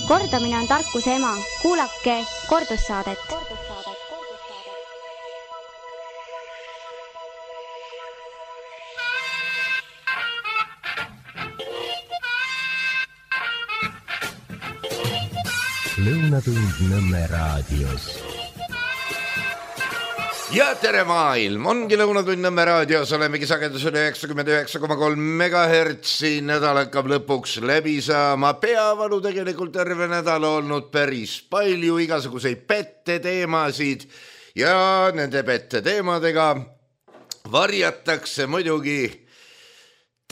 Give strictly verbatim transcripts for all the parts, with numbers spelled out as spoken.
Kordamine on tarkuse ema. Kuulake kordussaadet. Lõunatund Nõmme raadios. Ja tere maailm, ongi Lõunatund Nõmme raadios, olemegi sagedusel üheksakümmend üheksa koma kolm megahertsi, nädal hakkab lõpuks läbi saama, peavalu tegelikult terve nädal olnud päris palju, igasuguseid pette teemasid ja nende pette teemadega varjatakse muidugi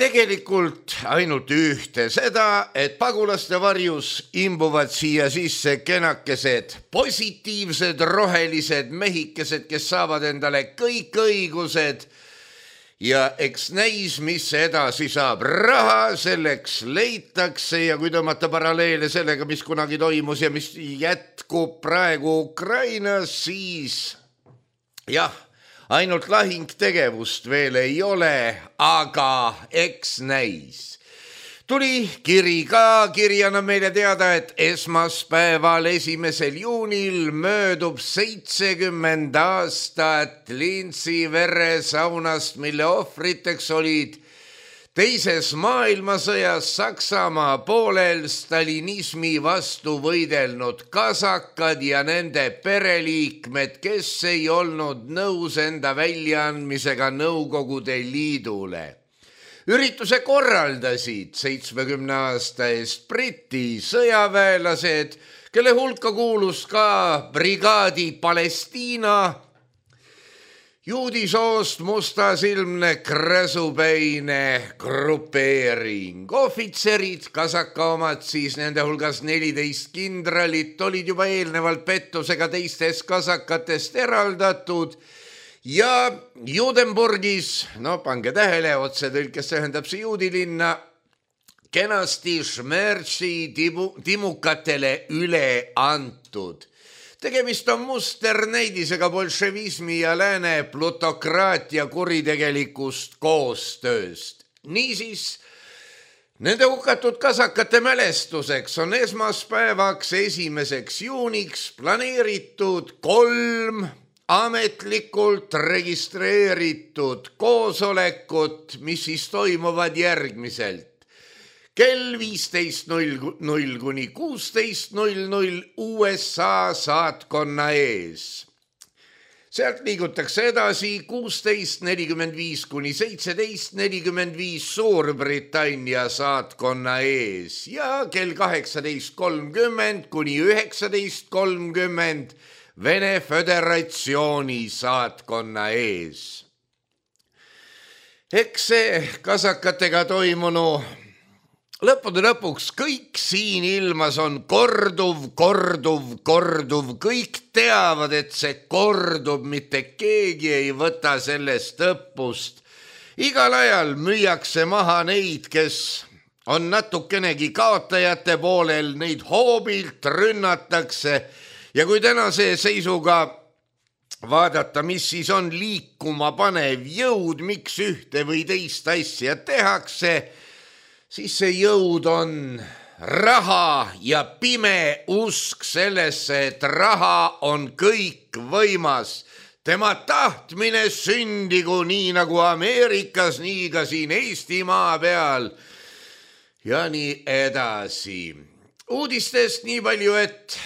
tegelikult ainult ühte, seda, et pagulaste varjus imbuvad siia sisse kenakesed, positiivsed, rohelised mehikesed, kes saavad endale kõik õigused ja eks näis, mis edasi saab. Raha selleks leitakse ja kui tõmmata paralleele sellega, mis kunagi toimus ja mis jätkub praegu Ukrainas, siis jah, ainult lahingtegevust veel ei ole, aga eks näis. Tuli kiri ka, kiri annab meile teada, et esmaspäeval esimesel juunil möödub seitsekümmend aastat Linzi veresaunast, mille ohvriteks olid teises maailmasõjas Saksamaa poolel stalinismi vastu võidelnud kasakad ja nende pereliikmed, kes ei olnud nõus enda väljaandmisega Nõukogude Liidule. Ürituse korraldasid seitsmekümne aasta eest Briti sõjaväelased, kelle hulka kuulus ka brigaadi Palestiina, juudisoost mustasilmne kräsupäine grupeering. Ohvitserid, kasaka omad siis, nende hulgas neliteist kindralit, olid juba eelnevalt pettusega teistest kasakatest eraldatud ja Judenburgis, no pange tähele, otse tõlkes tähendab see juudilinna, kenasti Šmertsi timukatele üle antud. Tegemist on musternäidisega bolševismi ja lääne plutokraatia kuritegelikust koostööst. Niisiis, nende hukatud kasakate mälestuseks on esmaspäevaks esimeseks juuniks planeeritud kolm ametlikult registreeritud koosolekut, mis siis toimuvad järgmiselt. Kell viisteist null null kuni kuusteist null null U S A saatkonna ees. Sealt liigutakse edasi kuusteist nelikümmend viis kuni seitseteist nelikümmend viis Suurbritannia saatkonna ees ja kell kaheksateist kolmkümmend kuni üheksateist kolmkümmend Vene Föderatsiooni saatkonna ees. Eks see kasakatega toimunu lõppude lõpuks kõik siin ilmas on korduv, korduv, korduv. Kõik teavad, et see kordub, mitte keegi ei võta sellest õppust. Igal ajal müüakse maha neid, kes on natukenegi kaotajate poolel, neid hoobilt rünnatakse. Ja kui tänase seisuga vaadata, mis siis on liikuma panev jõud, miks ühte või teist asja tehakse, siis see jõud on raha ja pime usk sellesse, et raha on kõik võimas. Tema tahtmine sündigu nii nagu Ameerikas, nii ka siin Eestimaa peal ja nii edasi. Uudistest nii palju, et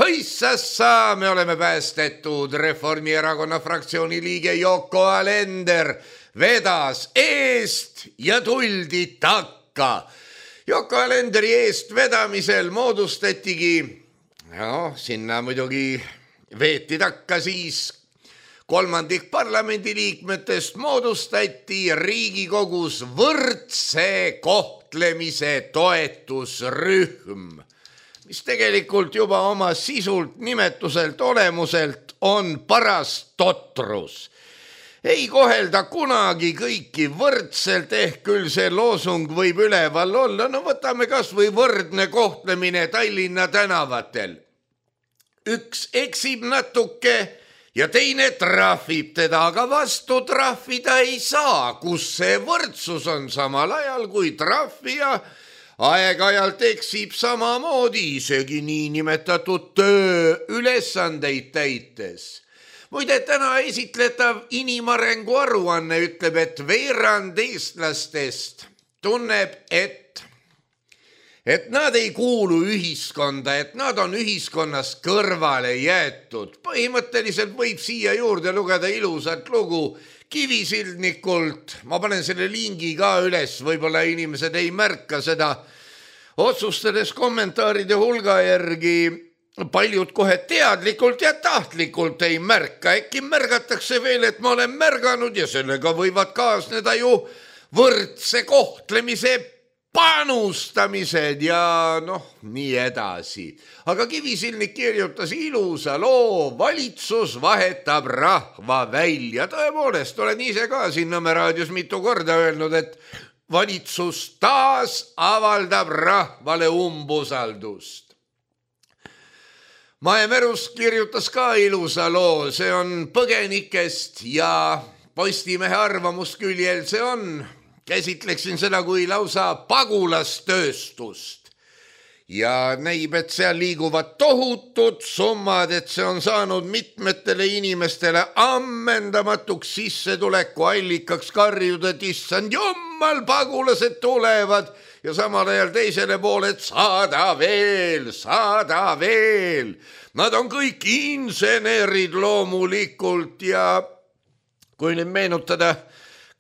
hõissassa, me oleme päästetud. Reformierakonna fraktsiooni liige Yoko Alender vedas eest ja tuldi takka. Yoko Alenderi eest vedamisel moodustatigi, no sinna muidugi veeti takka siis kolmandik parlamendiliikmetest, moodustati Riigikogus võrdse kohtlemise toetusrühm, mis tegelikult juba oma sisult, nimetuselt, olemuselt on paras totrus. Ei kohelda kunagi kõiki võrdselt, ehk küll see loosung võib üleval olla. No võtame kas või võrdne kohtlemine Tallinna tänavatel. Üks eksib natuke ja teine trahvib teda, aga vastu trahvida ei saa, kus see võrdsus on samal ajal, kui trahvija aeg-ajalt eksib samamoodi isegi niinimetatud töö ülesandeid täites. Muide, täna esitletav inimarengu aruanne ütleb, et veerand eestlastest tunneb, et, et nad ei kuulu ühiskonda, et nad on ühiskonnast kõrvale jäetud. Põhimõtteliselt võib siia juurde lugeda ilusat lugu Kivisildnikult. Ma panen selle lingi ka üles, võib-olla inimesed ei märka seda. Otsustades kommentaaride hulga järgi paljud kohe teadlikult ja tahtlikult ei märka. Äkki märgatakse veel, et ma olen märganud ja sellega võivad kaasneda ju võrdse kohtlemise panustamised ja noh, nii edasi. Aga Kivisildnik kirjutas ilusa loo, valitsus vahetab rahva välja. Tõepoolest, olen ise ka siin Nõmme raadios mitu korda öelnud, et valitsus taas avaldab rahvale umbusaldust. Mae Merust kirjutas ka ilusa loo, see on põgenikest ja Postimehe arvamusküljel see on. Käsitleksin seda kui lausa pagulastööstust. Ja näib, et seal liiguvad tohutud summad, et see on saanud mitmetele inimestele ammendamatuks sissetuleku allikaks karjuda, et issand jummal, pagulased tulevad. Ja samal ajal teisele poole, et saada veel, saada veel. Nad on kõik insenerid loomulikult ja kui nüüd meenutada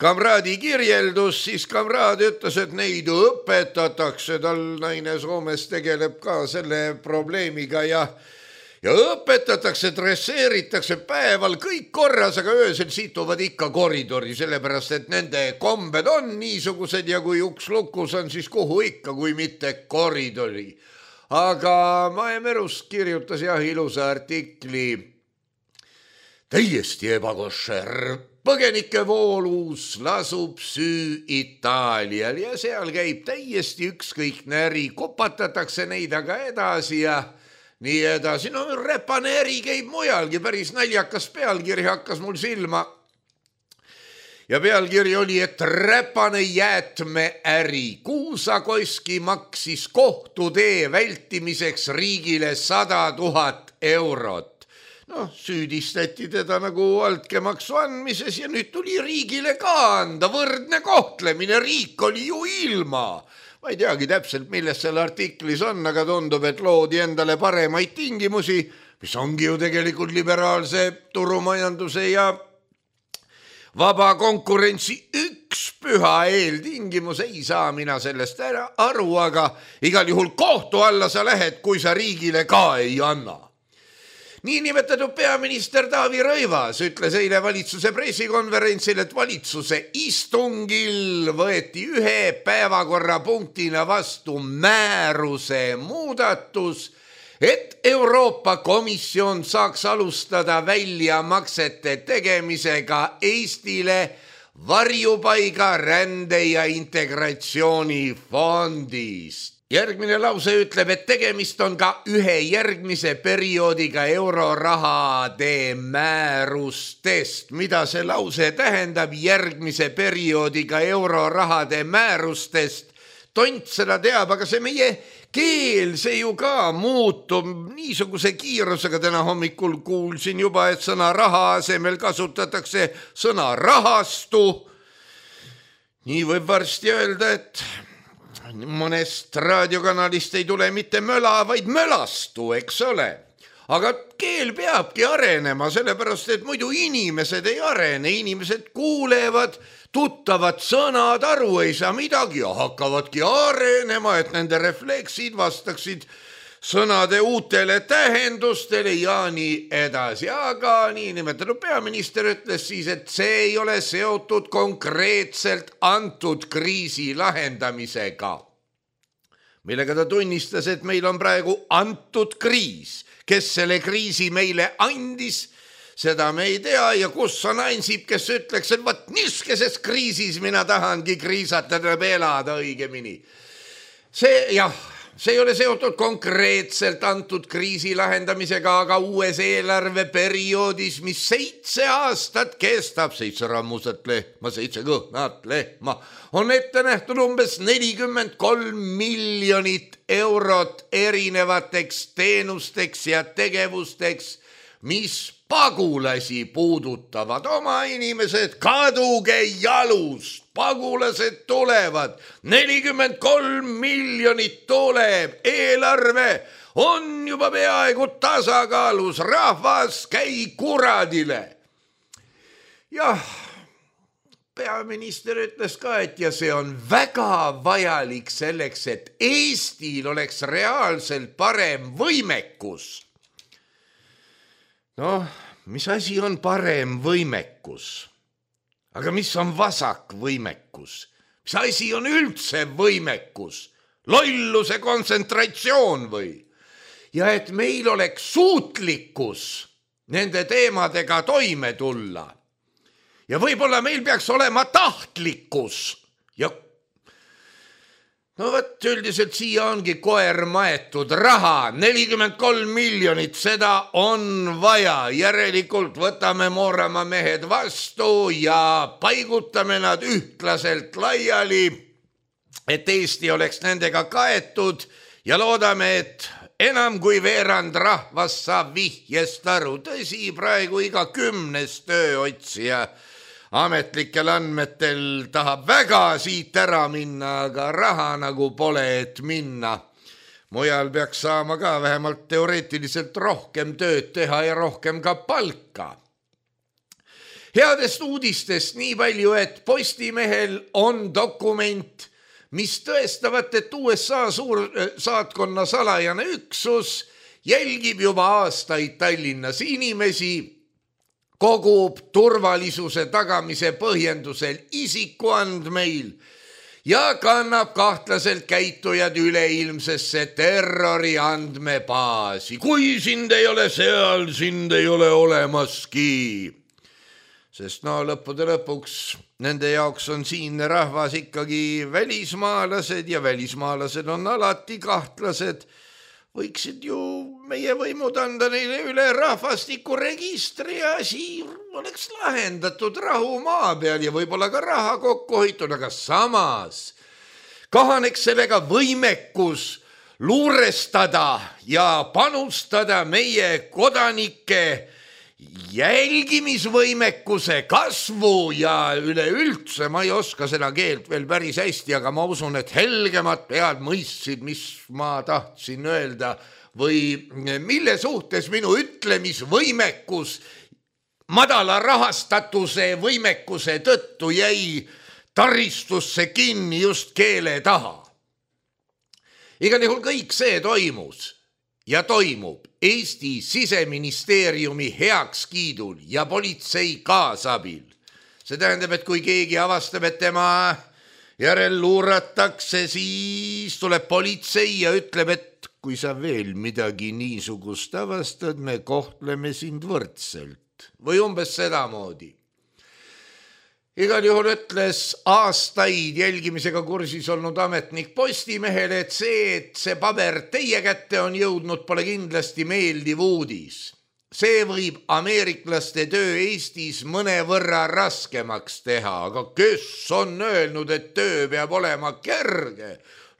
kamraadi kirjeldus, siis kamraad ütles, et neid õpetatakse, tal naine Soomes tegeleb ka selle probleemiga ja Ja õpetatakse, dresseeritakse päeval kõik korras, aga öösel situvad ikka koridori, sellepärast et nende kombed on niisugused ja kui uks lukus on, siis kuhu ikka, kui mitte koridori. Aga Mae Merust kirjutas jah ilusa artikli. Täiesti ebakošer. Põgenike voolus lasub süü Itaalial ja seal käib täiesti ükskõikne äri, kopatatakse neid aga edasi ja nii edasi, no räpane äri käib mujalgi, päris naljakas pealkiri hakkas mul silma. Ja pealkiri oli, et räpane jäätmeäri. Kuusakoski maksis kohtutee vältimiseks riigile sada tuhat eurot. No, süüdistati teda nagu altkäemaksu andmises ja nüüd tuli riigile ka anda võrdne kohtlemine. Riik oli ju ilma. Ma ei teagi täpselt, millest selle artiklis on, aga tundub, et loodi endale paremaid tingimusi, mis ongi ju tegelikult liberaalse turumajanduse ja vaba konkurentsi üks püha eeltingimus. Ei saa mina sellest ära aru, aga igal juhul kohtu alla sa lähed, kui sa riigile ka ei anna. Niinimetatud peaminister Taavi Rõivas ütles eile valitsuse pressikonverentsil, et valitsuse istungil võeti ühe päevakorrapunktina vastu määruse muudatus, et Euroopa Komisjon saaks alustada väljamaksete tegemisega Eestile varjupaiga rände ja integratsiooni fondist. Järgmine lause ütleb, et tegemist on ka ühe järgmise perioodiga eurorahade määrustest. Mida see lause tähendab järgmise perioodiga eurorahade määrustest? Tont seda teab, aga see meie keel, see ju ka muutub niisuguse kiirusega. Täna hommikul kuulsin juba, et sõna raha asemel kasutatakse sõna rahastu. Nii võib varsti öelda, et mõnest raadiokanalist ei tule mitte möla, vaid mölastu, eks ole. Aga keel peabki arenema, sellepärast, et muidu inimesed ei arene. Inimesed kuulevad, tuttavad sõnad, aru ei saa midagi ja hakkavadki arenema, et nende refleksid vastaksid sõnade uutele tähendustele ja nii edasi. Aga niinimetatud peaminister ütles siis, et see ei ole seotud konkreetselt antud kriisi lahendamisega, millega ta tunnistas, et meil on praegu antud kriis. Kes selle kriisi meile andis, seda me ei tea ja kus on Ansip, kes ütleks, et vaat niiskeses kriisis mina tahangi kriisata, tuleb elada õigemini. See, jah, see ei ole seotud konkreetselt antud kriisi lahendamisega, aga uues eelarveperioodis, mis seitse aastat kestab, seitse rammusat lehma, seitse kõhnat lehma, on ette nähtud umbes nelikümmend kolm miljonit eurot erinevateks teenusteks ja tegevusteks, mis pagulasi puudutavad. Oma inimesed, kaduge jalust, pagulased tulevad, nelikümmend kolm miljonit tuleb, eelarve on juba peaaegu tasakaalus, rahvas käi kuradile. Jah, peaminister ütles ka, et ja see on väga vajalik selleks, et Eestil oleks reaalselt parem võimekus. Noh, mis asi on parem võimekus? Aga mis on vasak võimekus? Mis asi on üldse võimekus? Lolluse kontsentratsioon või? Ja et meil oleks suutlikkus nende teemadega toime tulla. Ja võib-olla meil peaks olema tahtlikkus. Ja no võt, üldiselt siia ongi koer maetud raha, nelikümmend kolm miljonit, seda on vaja. Järelikult võtame Mooramaa mehed vastu ja paigutame nad ühtlaselt laiali, et Eesti oleks nendega kaetud ja loodame, et enam kui veerand rahvas saab vihjest aru. Tõsi, praegu iga kümnes tööotsija ametlikel andmetel tahab väga siit ära minna, aga raha nagu pole, et minna. Mujal peaks saama ka vähemalt teoreetiliselt rohkem tööd teha ja rohkem ka palka. Headest uudistest nii palju, et Postimehel on dokument, mis tõestavat, et U S A suur saatkonna salajane üksus jälgib juba aastaid Tallinnas inimesi, kogub turvalisuse tagamise põhjendusel isikuandmeil ja kannab kahtlaselt käitujad üleilmsesse terrori andmebaasi. Kui sind ei ole seal, sind ei ole olemaski. Sest no lõppude lõpuks nende jaoks on siinne rahvas ikkagi välismaalased ja välismaalased on alati kahtlased. Võiksid ju meie võimud anda neile üle rahvastikuregistri ja asi oleks lahendatud rahu maa peal ja võib-olla ka raha kokku hoitud, aga samas kahaneks sellega võimekus luurestada ja panustada meie kodanike jälgimisvõimekuse kasvu ja üleüldse, ma ei oska seda keelt veel päris hästi, aga ma usun, et helgemad pead mõistsid, mis ma tahtsin öelda või mille suhtes minu ütlemisvõimekus madala rahastatuse võimekuse tõttu jäi taristusse kinni just keele taha. Igal juhul kõik see toimus ja toimub Eesti Siseministeeriumi heakskiidul ja politsei kaasabil. See tähendab, et kui keegi avastab, et tema järel luuratakse, siis tuleb politsei ja ütleb, et kui sa veel midagi niisugust avastad, me kohtleme sind võrdselt. Või umbes sedamoodi. Igal juhul ütles aastaid jälgimisega kursis olnud ametnik Postimehele, et see, et see paber teie kätte on jõudnud, pole kindlasti meeldiv uudis. See võib ameeriklaste töö Eestis mõnevõrra raskemaks teha, aga kes on öelnud, et töö peab olema kerge?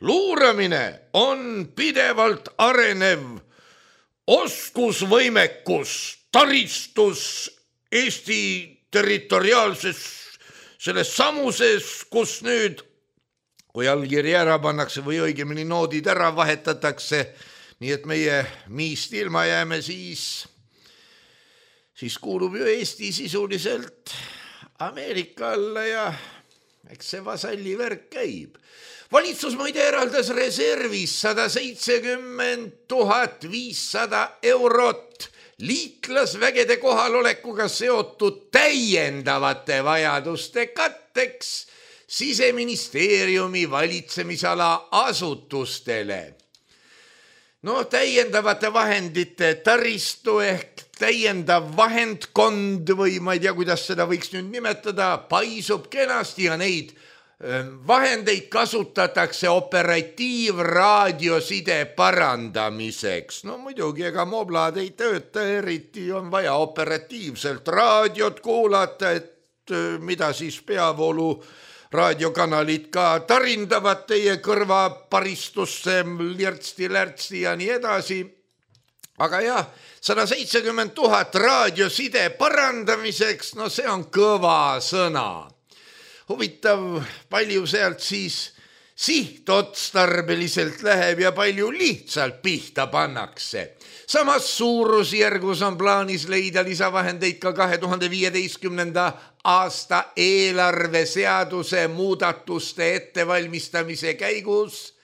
Luuramine on pidevalt arenev oskusvõimekus, taristus Eesti territoriaalses selles samuses, kus nüüd, kui allkiri ära pannakse või õigemini noodid ära vahetatakse, nii et meie miist ilma jääme, siis, siis kuulub ju Eesti sisuliselt Ameerika alla ja eks see vasalli värk käib. Valitsus muide eraldas reservis sada seitsekümmend tuhat viissada eurot liitlasvägede kohalolekuga seotud täiendavate vajaduste katteks Siseministeeriumi valitsemisala asutustele. No täiendavate vahendite taristu ehk täiendav vahendkond või ma ei tea, kuidas seda võiks nüüd nimetada, paisub kenasti ja neid vahendeid kasutatakse operatiivraadioside parandamiseks. No muidugi, ega moblad ei tööta, eriti on vaja operatiivselt raadiot kuulata, et mida siis peavoolu raadiokanalid ka tarindavad teie kõrva paristusse, lirtsti-lärtsti ja nii edasi. Aga jah, sada seitsekümmend tuhat raadioside parandamiseks, no see on kõva sõna. Huvitav, palju sealt siis sihtotstarbeliselt läheb ja palju lihtsalt pihta pannakse. Samas suurusjärgus on plaanis leida lisavahendeid ka kahe tuhande viieteistkümnenda aasta eelarveseaduse muudatuste ettevalmistamise käigus.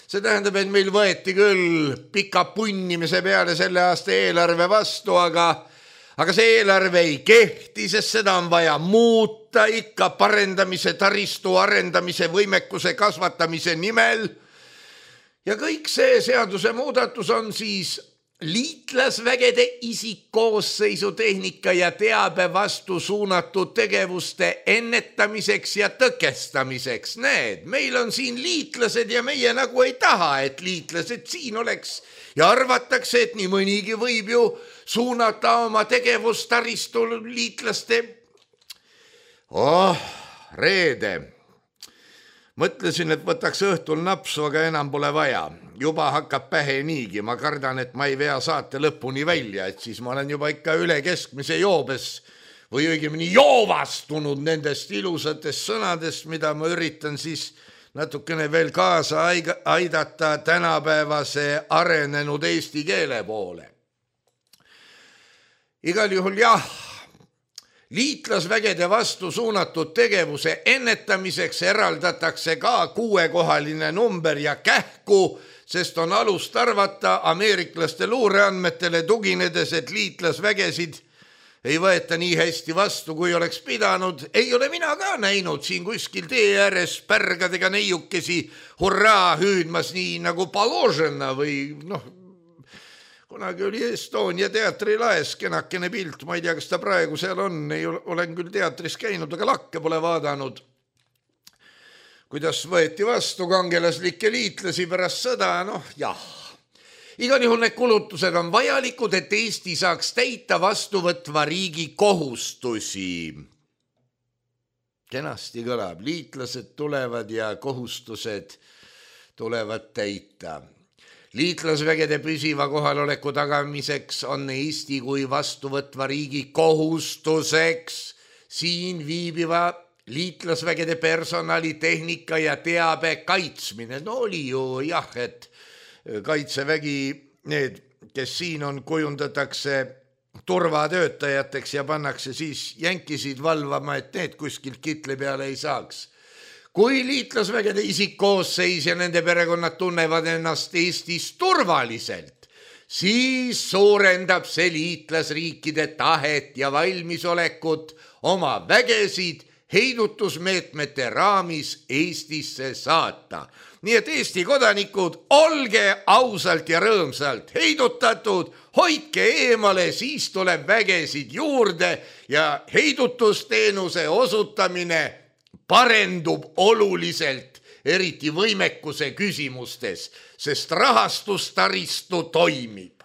See tähendab, et meil võeti küll pika punnimise peale selle aasta eelarve vastu, aga, aga see eelarve ei kehti, sest seda on vaja muuta ikka parendamise, taristu arendamise, võimekuse kasvatamise nimel. Ja kõik see seaduse muudatus on siis liitlasvägede isikkoosseisu tehnika ja teabe vastu suunatud tegevuste ennetamiseks ja tõkestamiseks. Need, meil on siin liitlased ja meie nagu ei taha, et liitlased siin oleks ja arvatakse, et nii mõnigi võib ju suunata oma tegevustaristu liitlaste. Oh, reede. Mõtlesin, et võtaks õhtul napsu, aga enam pole vaja. Juba hakkab pähe niigi. Ma kardan, et ma ei vea saate lõpuni välja, et siis ma olen juba ikka üle keskmise joobes või õigemini joovastunud nendest ilusatest sõnadest, mida ma üritan siis natukene veel kaasa aidata tänapäevase arenenud eesti keele poole. Igal juhul jah, liitlasvägede vastu suunatud tegevuse ennetamiseks eraldatakse ka kuuekohaline number ja kähku, sest on alust arvata ameeriklaste luureandmetele tuginedes, et liitlasvägesid ei võeta nii hästi vastu, kui oleks pidanud. Ei ole mina ka näinud siin kuskil tee ääres pärgadega neiukesi hurraa hüüdmas nii nagu paložena või noh, kunagi oli Estonia teatri laes kenakene pilt, ma ei tea, kas ta praegu seal on, ei olen küll teatris käinud, aga lakke pole vaadanud. Kuidas võeti vastu kangelaslikke liitlasi pärast sõda, noh jah. Igal juhul need kulutused on vajalikud, et Eesti saaks täita vastuvõtva riigi kohustusi. Kenasti kõlab, liitlased tulevad ja kohustused tulevad täita. Liitlasvägede püsiva kohaloleku tagamiseks on Eesti kui vastuvõtva riigi kohustuseks siin viibiva liitlasvägede personali, tehnika ja teabe kaitsmine. No oli ju jah, et kaitsevägi, need, kes siin on, kujundatakse turvatöötajateks ja pannakse siis jänkisid valvama, et need kuskilt kitle peale ei saaks. Kui liitlasvägede isikkoosseis ja nende perekonnad tunnevad ennast Eestis turvaliselt, siis suurendab see liitlasriikide tahet ja valmisolekut oma vägesid heidutusmeetmete raamis Eestisse saata. Nii et Eesti kodanikud, olge ausalt ja rõõmsalt heidutatud, hoidke eemale, siis tuleb vägesid juurde ja heidutusteenuse osutamine parendub oluliselt, eriti võimekuse küsimustes, sest rahastustaristu toimib.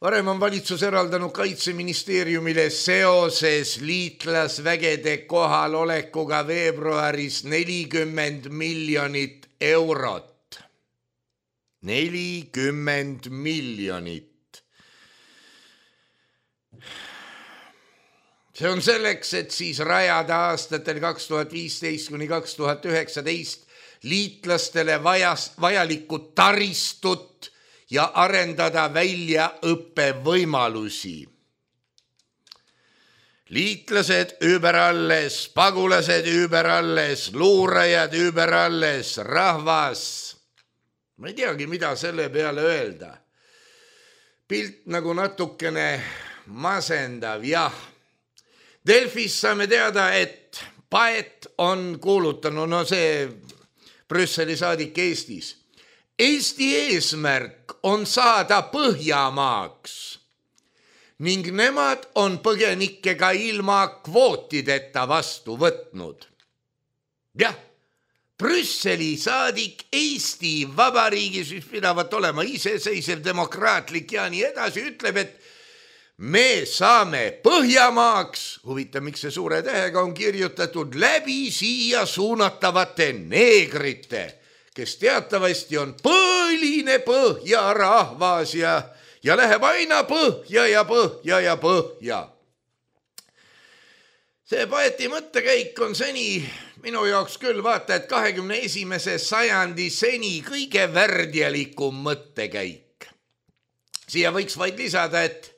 Varem on valitsus eraldanud Kaitseministeeriumile seoses liitlasvägede kohalolekuga veebruaris nelikümmend miljonit eurot. nelikümmend miljonit. See on selleks, et siis rajada aastatel kaks tuhat viisteist kuni kaks tuhat üheksateist liitlastele vajas, vajalikud taristut ja arendada välja õppevõimalusi. Liitlased überalles, pagulased überalles, luurajad überalles, rahvas. Ma ei teagi, mida selle peale öelda. Pilt nagu natukene masendav, jah. Delfis saame teada, et Paet on kuulutanud, no see Brüsseli saadik Eestis. Eesti eesmärk on saada Põhjamaaks ning nemad on põgenikke ka ilma kvootideta vastu võtnud. jah, Brüsseli saadik Eesti Vabariigis, mis pidavat olema iseseisev, demokraatlik ja nii edasi, ütleb, et me saame Põhjamaaks, huvitav, miks see suure tähega on kirjutatud, läbi siia suunatavate neegrite, kes teatavasti on põline põhjarahvas ja, ja läheb aina põhja ja põhja ja põhja. See poeti mõttekäik on seni minu jaoks küll vaata, et kahekümne esimese sajandi seni kõige värdjalikum mõttekäik. Siia võiks vaid lisada, et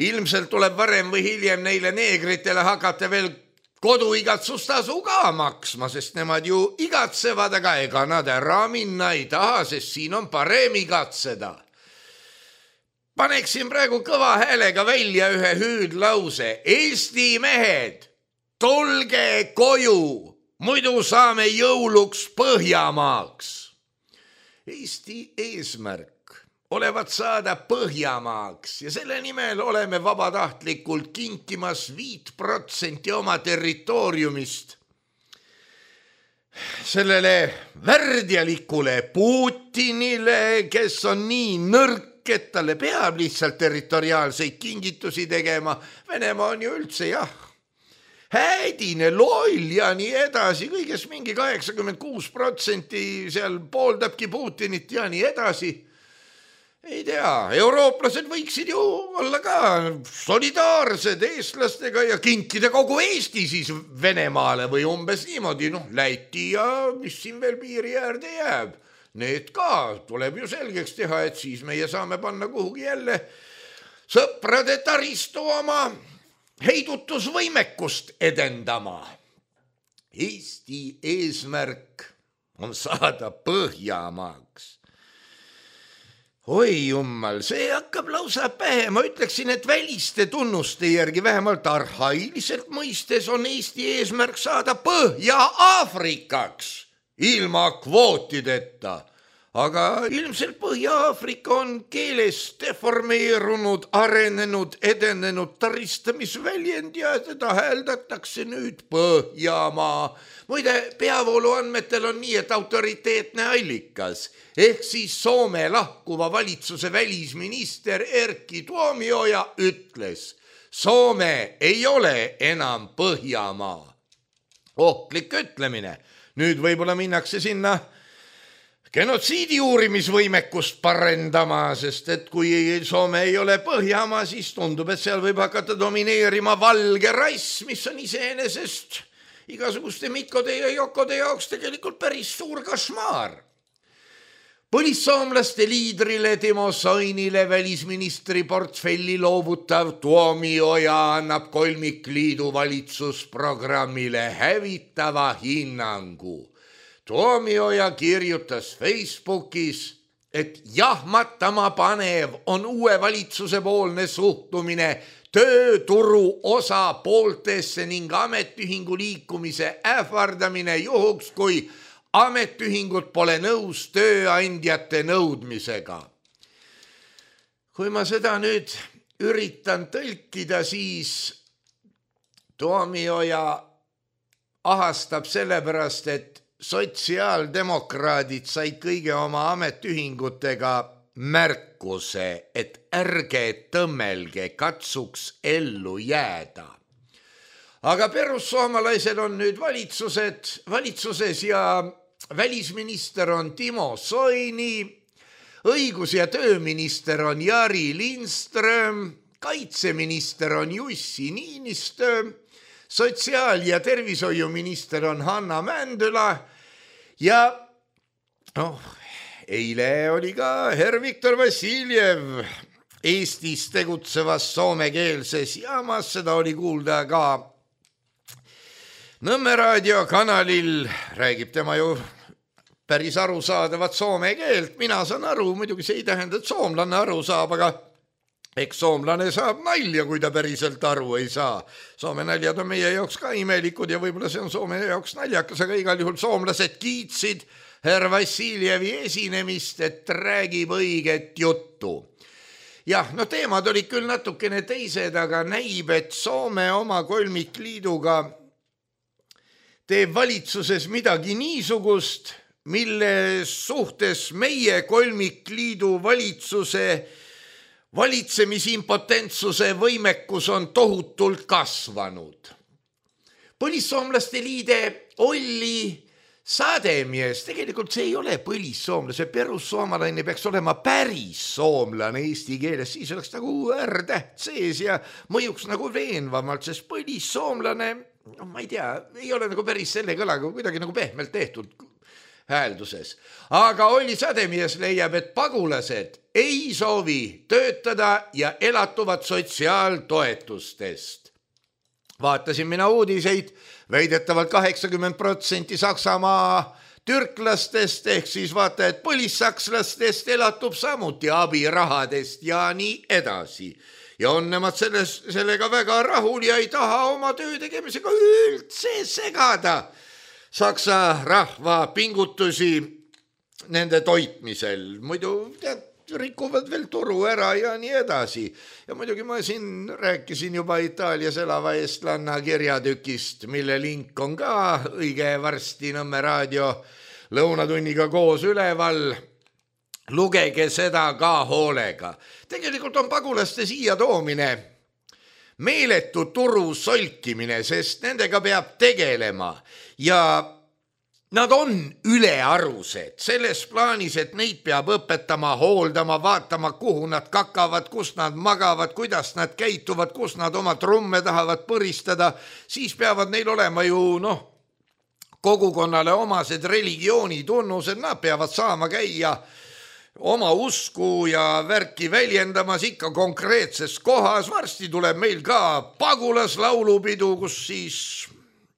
ilmselt tuleb varem või hiljem neile neegritele hakata veel koduigatsustasu ka maksma, sest nemad ju igatsevad, aga ega nad ära minna ei taha, sest siin on parem igatseda. Paneksin praegu kõva häälega välja ühe hüüdlause. Eesti mehed, tulge koju, muidu saame jõuluks Põhjamaaks. Eesti eesmärk olevat saada Põhjamaaks ja selle nimel oleme vabatahtlikult kinkimas viit protsenti oma territooriumist sellele värdjalikule Putinile, kes on nii nõrk, et talle peab lihtsalt territoriaalseid kingitusi tegema. Venemaa on ju üldse jah, hädine, loll ja nii edasi, kõigest mingi kaheksakümmend kuus protsenti seal pooldabki Putinit ja nii edasi. Ei tea, eurooplased võiksid ju olla ka solidaarsed eestlastega ja kinkida kogu Eesti siis Venemaale või umbes niimoodi, noh, Läti ja mis siin veel piiri äärde jääb. Need ka tuleb ju selgeks teha, et siis meie saame panna kuhugi jälle sõprade taristu oma heidutusvõimekust edendama. Eesti eesmärk on saada Põhjamaaks. Oi jummal, see hakkab lausa pähe. Ma ütleksin, et väliste tunnuste järgi vähemalt arhailiselt mõistes on Eesti eesmärk saada Põhja-Aafrikaks ilma kvootideta. Aga ilmselt Põhja-Aafrika on keeles deformeerunud, arenenud, edenenud taristamisväljend ja teda hääldatakse nüüd Põhjamaa. Muide, peavoolu andmetel on nii, et autoriteetne allikas ehk siis Soome lahkuva valitsuse välisminister Erkki Tuomioja ütles, Soome ei ole enam Põhjamaa. Ohtlik ütlemine. Nüüd võib-olla minnakse sinna genotsiidi uurimisvõimekust parendama, sest et kui Soome ei ole Põhjamaa, siis tundub, et seal võib hakata domineerima valge rass, mis on iseenesest igasuguste Mikkode ja Jokode jaoks tegelikult päris suur kašmaar. Põlissoomlaste liidrile Timo Soinile välisministri portfelli loovutav Tuomioja annab kolmikliidu valitsusprogrammile hävitava hinnangu. Tuomioja kirjutas Facebookis, et jahmatama panev on uue valitsuse poolne suhtumine tööturu osapooltesse ning ametiühingu liikumise ähvardamine juhuks, kui ametiühingud pole nõus tööandjate nõudmisega. Kui ma seda nüüd üritan tõlkida, siis Tuomioja ahastab sellepärast, et sotsiaaldemokraadid said kõige oma ametiühingutega märkuse, et ärge tõmmelge, katsuks ellu jääda. Aga perussoomalaisel on nüüd valitsused, valitsuses ja välisminister on Timo Soini, õigus- ja tööminister on Jari Lindström, kaitseminister on Jussi Niinistö, sotsiaal- ja tervishoiuminister on Hanna Mändüla ja noh, eile oli ka herr Viktor Vassiljev Eestis tegutsevas soomekeelses jaamas, seda oli kuulda ka Nõmme raadiokanalil, räägib tema ju päris arusaadavat soome keelt. Mina saan aru, muidugi see ei tähenda, et soomlane aru saab, aga eks soomlane saab nalja, kui ta päriselt aru ei saa. Soome naljad on meie jaoks ka imelikud ja võib-olla see on Soome jaoks naljakas, aga igal juhul soomlased kiitsid herr Vassiljevi esinemist, et räägib õiget juttu. Jah, no teemad olid küll natukene teised, aga näib, et Soome oma kolmikliiduga teeb valitsuses midagi niisugust, mille suhtes meie kolmikliidu valitsuse valitsemisiimpotentsuse võimekus on tohutult kasvanud. Põlissoomlaste liide Olli Sademies, tegelikult see ei ole põlissoomlase, perussoomalaine peaks olema päris soomlane eesti keeles, siis oleks nagu R-täht sees ja mõjuks nagu veenvamalt, sest põlissoomlane, no ma ei tea, ei ole nagu päris selle kõlaga, kuidagi nagu pehmelt tehtud häälduses. Aga Olli Sademies leiab, et pagulased ei soovi töötada ja elatuvad sotsiaaltoetustest. Vaatasin mina uudiseid, väidetavalt kaheksakümmend protsenti Saksamaa türklastest ehk siis vaata, et põlissakslastest elatub samuti abirahadest ja nii edasi. Ja on nemad selles, sellega väga rahul ja ei taha oma töö tegemisega üldse segada Saksa rahva pingutusi nende toitmisel. Muidu tead, rikuvad veel turu ära ja nii edasi. Ja muidugi ma siin rääkisin juba Itaalias elava eestlanna kirjatükist, mille link on ka õige varsti Nõmme raadio lõunatunniga koos üleval. Lugege seda ka hoolega. Tegelikult on pagulaste siia toomine meeletu turu solkimine, sest nendega peab tegelema ja nad on ülearused selles plaanis, et neid peab õpetama, hooldama, vaatama, kuhu nad kakavad, kus nad magavad, kuidas nad käituvad, kus nad oma trumme tahavad põristada, siis peavad neil olema ju noh, kogukonnale omased religiooni tunnused, nad peavad saama käia oma usku ja värki väljendamas ikka konkreetses kohas. Varsti tuleb meil ka pagulaslaulupidu, kus siis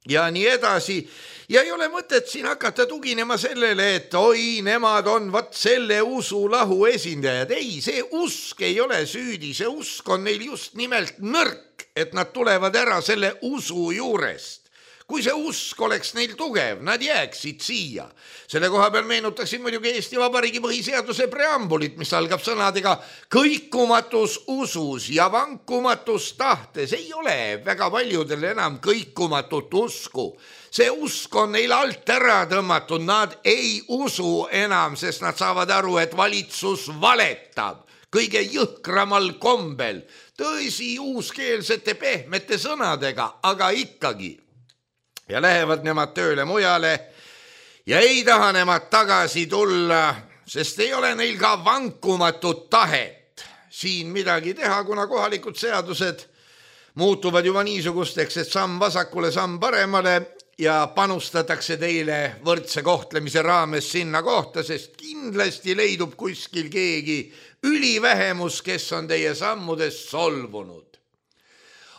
ja nii edasi. Ja ei ole mõtet siin hakata tuginema sellele, et oi, nemad on vat selle usulahu esindajad. Ei, see usk ei ole süüdi, see usk on neil just nimelt nõrk, et nad tulevad ära selle usu juurest. Kui see usk oleks neil tugev, nad jääksid siia. Selle koha peal meenutaksin muidugi Eesti Vabariigi põhiseaduse preambulit, mis algab sõnadega kõikumatus usus ja vankumatus tahtes. Ei ole väga paljudel enam kõikumatut usku. See usk on neil alt ära tõmmatud, nad ei usu enam, sest nad saavad aru, et valitsus valetab kõige jõhkramal kombel. Tõsi, uuskeelsete pehmete sõnadega, aga ikkagi. Ja lähevad nemad tööle mujale ja ei taha nemad tagasi tulla, sest ei ole neil ka vankumatut tahet siin midagi teha, kuna kohalikud seadused muutuvad juba niisugusteks, et samm vasakule, samm paremale ja panustatakse teile võrdse kohtlemise raames sinna kohta, sest kindlasti leidub kuskil keegi ülivähemus, kes on teie sammudest solvunud.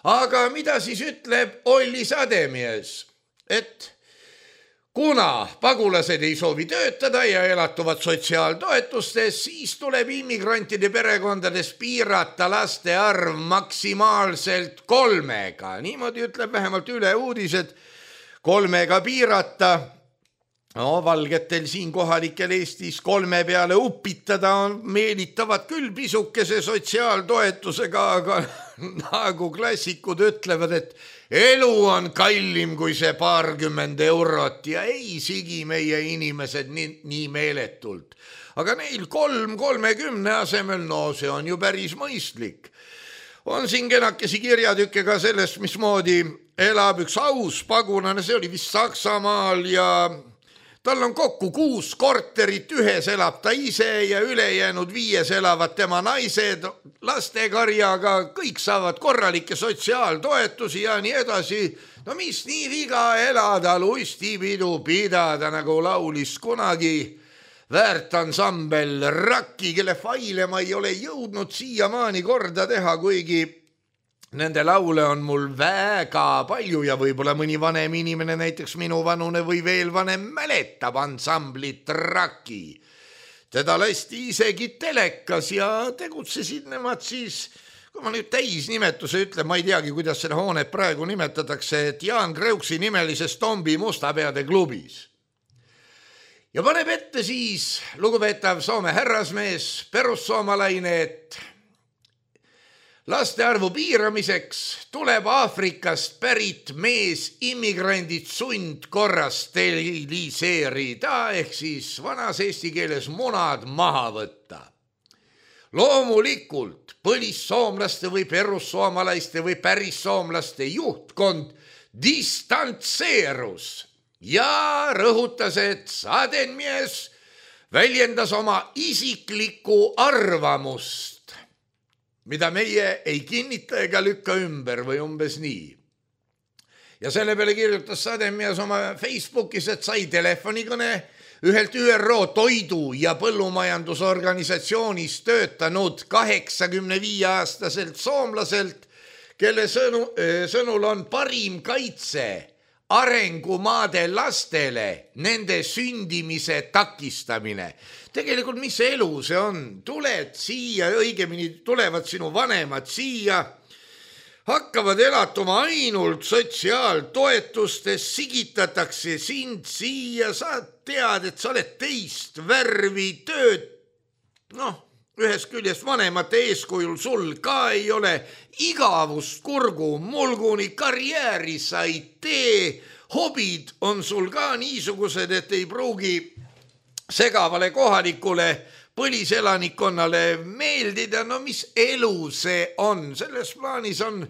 Aga mida siis ütleb Olli Sademies? Et kuna pagulased ei soovi töötada ja elatuvad sotsiaaltoetustes, siis tuleb immigrantide perekondades piirata laste arv maksimaalselt kolmega. Niimoodi ütleb vähemalt üle uudised, kolmega piirata. No, valgetel siin kohalikel Eestis kolme peale upitada on meelitavad küll pisukese sotsiaaltoetusega, aga nagu klassikud ütlevad, et elu on kallim kui see paarkümmend eurot ja ei sigi meie inimesed nii, nii meeletult. Aga neil kolm kolmekümne asemel, no see on ju päris mõistlik. On siin kenakesi kirjatükke ka sellest, mismoodi elab üks aus pagulane, see oli vist Saksamaal ja tal on kokku kuus korterit, ühes elab ta ise ja ülejäänud viies elavad tema naised lastekarjaga, kõik saavad korralikke sotsiaaltoetusi ja nii edasi. No mis nii viga elada, luistipidu pidada, nagu laulis kunagi väärtansambel Rakki, kelle faile ma ei ole jõudnud siiamaani korda teha, kuigi nende laule on mul väga palju ja võib-olla mõni vanem inimene, näiteks minu vanune või veel vanem, mäletab ansamblit Raki. Teda lasti isegi telekas ja tegutsesid nemad siis, kui ma nüüd täisnimetuse ütlen, ma ei teagi, kuidas seda hoonet praegu nimetatakse, et Jaan Kreuksi nimelises Tombi Mustapeade klubis. Ja paneb ette siis lugupeetav Soome härrasmees, perussoomalaine, et laste arvu piiramiseks tuleb Aafrikast pärit mees immigrandid sundkorras steriliseerida ehk siis vanas eesti keeles munad maha võtta. Loomulikult põlissoomlaste või perussoomalaiste või pärissoomlaste juhtkond distantseerus ja rõhutas, et Sadenmies väljendas oma isiklikku arvamust, mida meie ei kinnita ega lükka ümber või umbes nii. Ja selle peale kirjutas Sadenmies oma Facebookis, et sai telefonikõne ühelt Ü R O toidu- ja põllumajandusorganisatsioonis töötanud kaheksakümne viie aastaselt soomlaselt, kelle sõnu, sõnul on parim kaitse arengumaade lastele nende sündimise takistamine. Tegelikult mis elu see on? Tuled siia, õigemini tulevad sinu vanemad siia, hakkavad elatuma ainult sotsiaaltoetustes, sigitatakse sind siia, sa tead, et sa oled teist värvi tööd, noh, ühest küljest vanemate eeskujul sul ka ei ole, igavust kurgu mulguni, karjääri sa ei tee, hobid on sul ka niisugused, et ei pruugi segavale kohalikule põliselanikkonnale meeldida. No mis elu see on? Selles plaanis on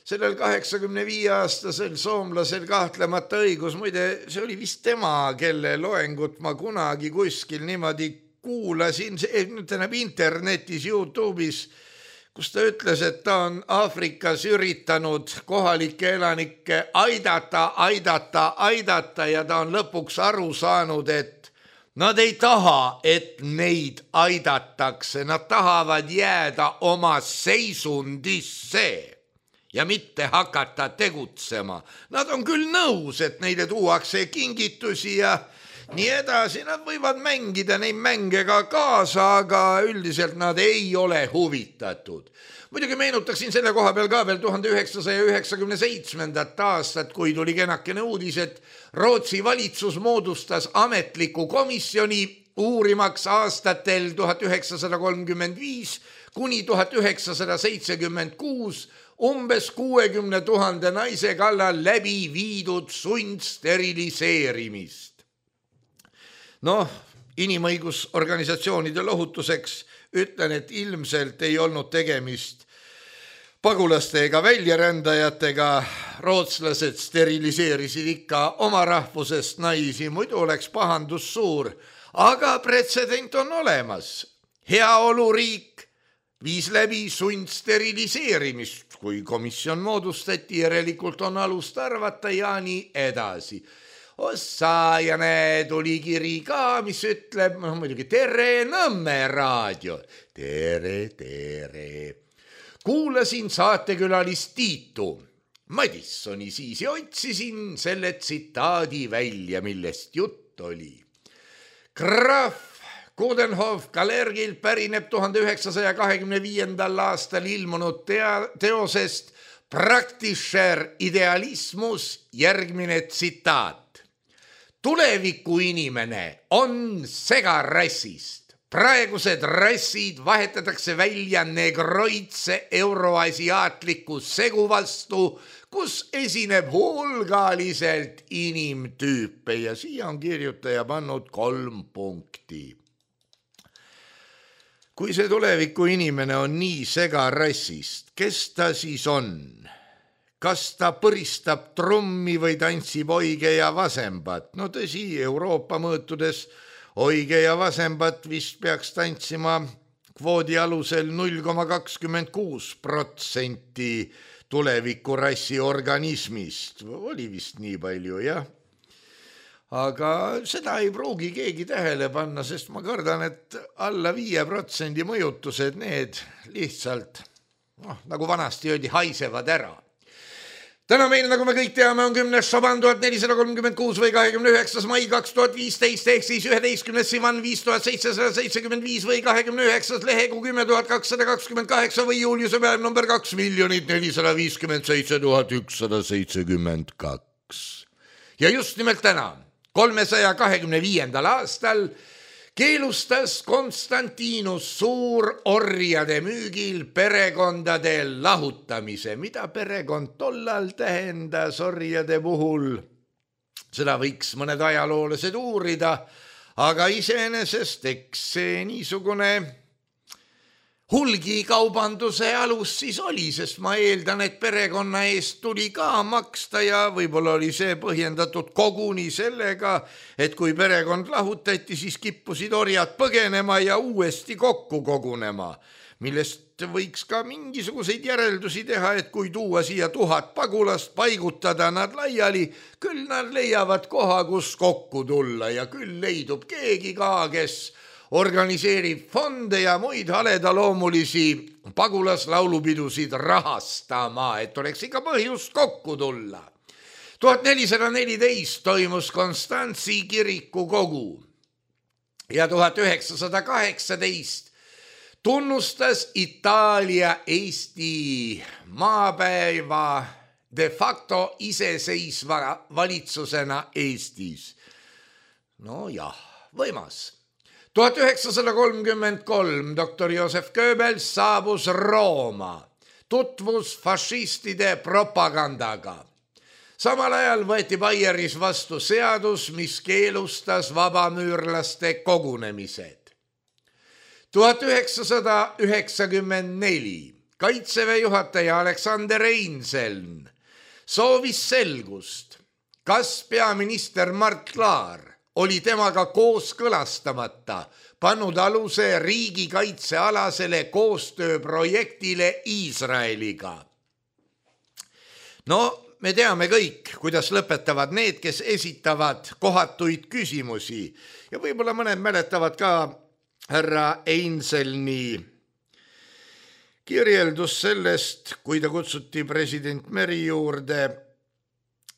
sellel kaheksakümne viie aastasel soomlasel kahtlemata õigus. Muide, see oli vist tema, kelle loengut ma kunagi kuskil niimoodi kuulasin, tähendab internetis, YouTube'is, kus ta ütles, et ta on Aafrikas üritanud kohalikke elanikke aidata, aidata, aidata ja ta on lõpuks aru saanud, et nad ei taha, et neid aidatakse, nad tahavad jääda oma seisundisse ja mitte hakata tegutsema. Nad on küll nõus, et neile tuuakse kingitusi ja nii edasi, nad võivad mängida neid mänge ka kaasa, aga üldiselt nad ei ole huvitatud. Muidugi meenutaksin selle koha peal ka veel tuhande üheksasaja üheksakümne seitsmendat aastat, kui tuli kenakene uudis, et Rootsi valitsus moodustas ametliku komisjoni uurimaks aastatel tuhat üheksasada kolmkümmend viis kuni tuhat üheksasada seitsekümmend kuus umbes kuuekümne tuhande naise kallal läbi viidud sundsteriliseerimist. Noh, inimõigusorganisatsioonide lohutuseks ütlen, et ilmselt ei olnud tegemist pagulaste ega väljarändajatega. Rootslased steriliseerisid ikka oma rahvusest naisi, muidu oleks pahandus suur, aga pretsedent on olemas. Heaoluriik viis läbi sundsteriliseerimist, kui komisjon moodustati, järelikult on alust arvata ja nii edasi. Ossa ja näe, tuli kiri ka, mis ütleb, no muidugi tere Nõmme raadio. Tere, tere. Kuulasin saatekülalist Tiitu Madissoni siis ja otsisin selle tsitaadi välja, millest jutt oli. Graf Coudenhove Kalergilt pärineb tuhande üheksasaja kahekümne viiendal aastal ilmunud tea- teosest Praktischer Idealismus järgmine tsitaat. Tuleviku inimene on segarassist. Praegused rassid vahetatakse välja negroidse euroasiaatliku segu vastu, kus esineb hulgaliselt inimtüüpe ja siia on kirjutaja pannud kolm punkti. Kui see tuleviku inimene on nii segarassist, kes ta siis on? Kas ta põristab trummi või tantsib oige ja vasembat? No tõsi, Euroopa mõõtudes oige ja vasembat vist peaks tantsima kvoodi alusel null koma kakskümmend kuus protsenti tuleviku rassi organismist. Oli vist nii palju, jah. Aga seda ei pruugi keegi tähele panna, sest ma kardan, et alla viie protsendi mõjutused need lihtsalt, noh, nagu vanasti öeldi, haisevad ära. Täna meil, nagu me kõik teame, on kümnes Šaban tuhat nelisada kolmkümmend kuus või kahekümne üheksas mai kaks tuhat viisteist ehk siis üheteistkümnes Sivan viis tuhat seitsesada seitsekümmend viis või kahekümne üheksas lehegu kümme tuhat kakssada kakskümmend kaheksa või juuliuse päev number kaks miljonit nelisada viiskümmend seitse tuhat ükssada seitsekümmend kaks. Ja just nimelt täna, kolmesaja kahekümne viiendal aastal keelustas Konstantinus suur orjade müügil perekondade lahutamise. Mida perekond tollal tähendas orjade puhul? Seda võiks mõned ajaloolased uurida, aga iseenesest eks see niisugune hulgikaubanduse alus siis oli, sest ma eeldan, et perekonna eest tuli ka maksta ja võib-olla oli see põhjendatud koguni sellega, et kui perekond lahutati, siis kippusid orjad põgenema ja uuesti kokku kogunema, millest võiks ka mingisuguseid järeldusi teha, et kui tuua siia tuhat pagulast, paigutada nad laiali, küll nad leiavad koha, kus kokku tulla ja küll leidub keegi ka, kes organiseerib fonde ja muid haledaloomulisi pagulaslaulupidusid rahastama, et oleks ikka põhjust kokku tulla. tuhat nelisada neliteist toimus Konstantsi kirikukogu ja tuhat üheksasada kaheksateist tunnustas Itaalia Eesti maapäeva de facto iseseisva valitsusena Eestis. No jah, võimas. tuhat üheksasada kolmkümmend kolm doktor Josef Goebbels saabus Rooma, tutvus fašistide propagandaga. Samal ajal võeti Baieris vastu seadus, mis keelustas vabamüürlaste kogunemised. tuhat üheksasada üheksakümmend neli Kaitseväe juhataja Alexander Einzeln soovis selgust, kas peaminister Mart Laar oli temaga kooskõlastamata pannud aluse riigikaitsealasele koostööprojektile Iisraeliga. No, me teame kõik, kuidas lõpetavad need, kes esitavad kohatuid küsimusi ja võib-olla mõned mäletavad ka härra Einzelni kirjeldus sellest, kui ta kutsuti president Meri juurde,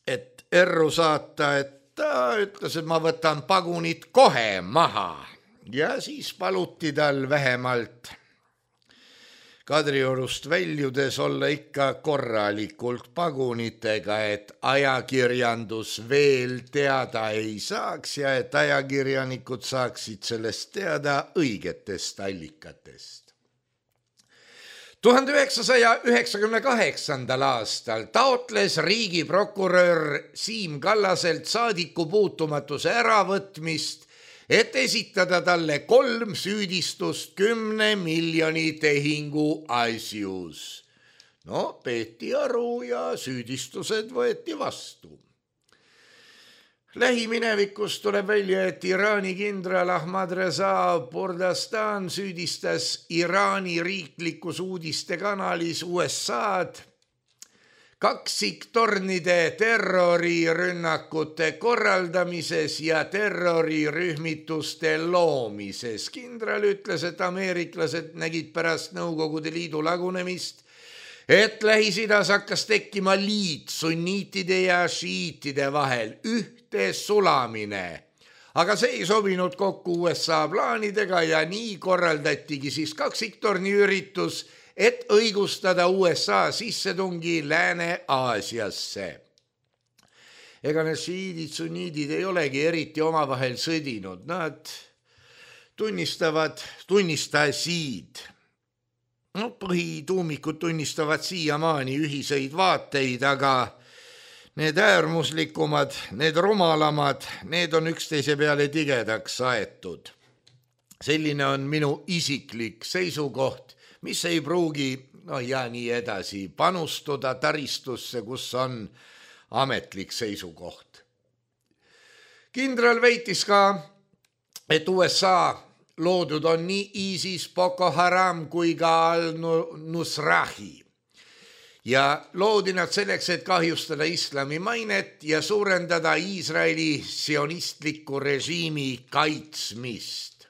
et erru saata, et ta ütles, et ma võtan pagunid kohe maha ja siis paluti tal vähemalt Kadriorust väljudes olla ikka korralikult pagunitega, et ajakirjandus veel teada ei saaks ja et ajakirjanikud saaksid sellest teada õigetest allikatest. tuhande üheksasaja üheksakümne kaheksandal aastal taotles riigiprokurör Siim Kallaselt saadikupuutumatuse äravõtmist, et esitada talle kolm süüdistust kümne miljoni tehingu asjus. No, peeti aru ja süüdistused võeti vastu. Lähiminevikus tuleb välja, et Iraani kindral Ahmad Reza Bordastan süüdistas Iraani riiklikus uudistekanalis U S A-d kaksiktornide terrorirünnakute korraldamises ja terrorirühmituste loomises. Kindral ütles, et ameeriklased nägid pärast Nõukogude Liidu lagunemist, et Lähis-Idas hakkas tekkima liit sunniitide ja šiitide vahel, ühte sulamine. Aga see ei sobinud kokku U S A plaanidega ja nii korraldatigi siis kaksiktorni üritus, et õigustada U S A sissetungi Lääne-Aasiasse. Ega need šiidid, sunniidid ei olegi eriti omavahel sõdinud, nad tunnistavad, tunnistasid. No, põhituumikud tunnistavad siiamaani ühiseid vaateid, aga need äärmuslikumad, need rumalamad, need on üksteise peale tigedaks aetud. Selline on minu isiklik seisukoht, mis ei pruugi, no ja nii edasi, panustuda taristusse, kus on ametlik seisukoht. Kindral väitis ka, et U S A loodud on nii ISIS, Boko Haram kui ka Al-Nusrahi. Ja loodi nad selleks, et kahjustada islami mainet ja suurendada Iisraeli sionistliku režiimi kaitsmist.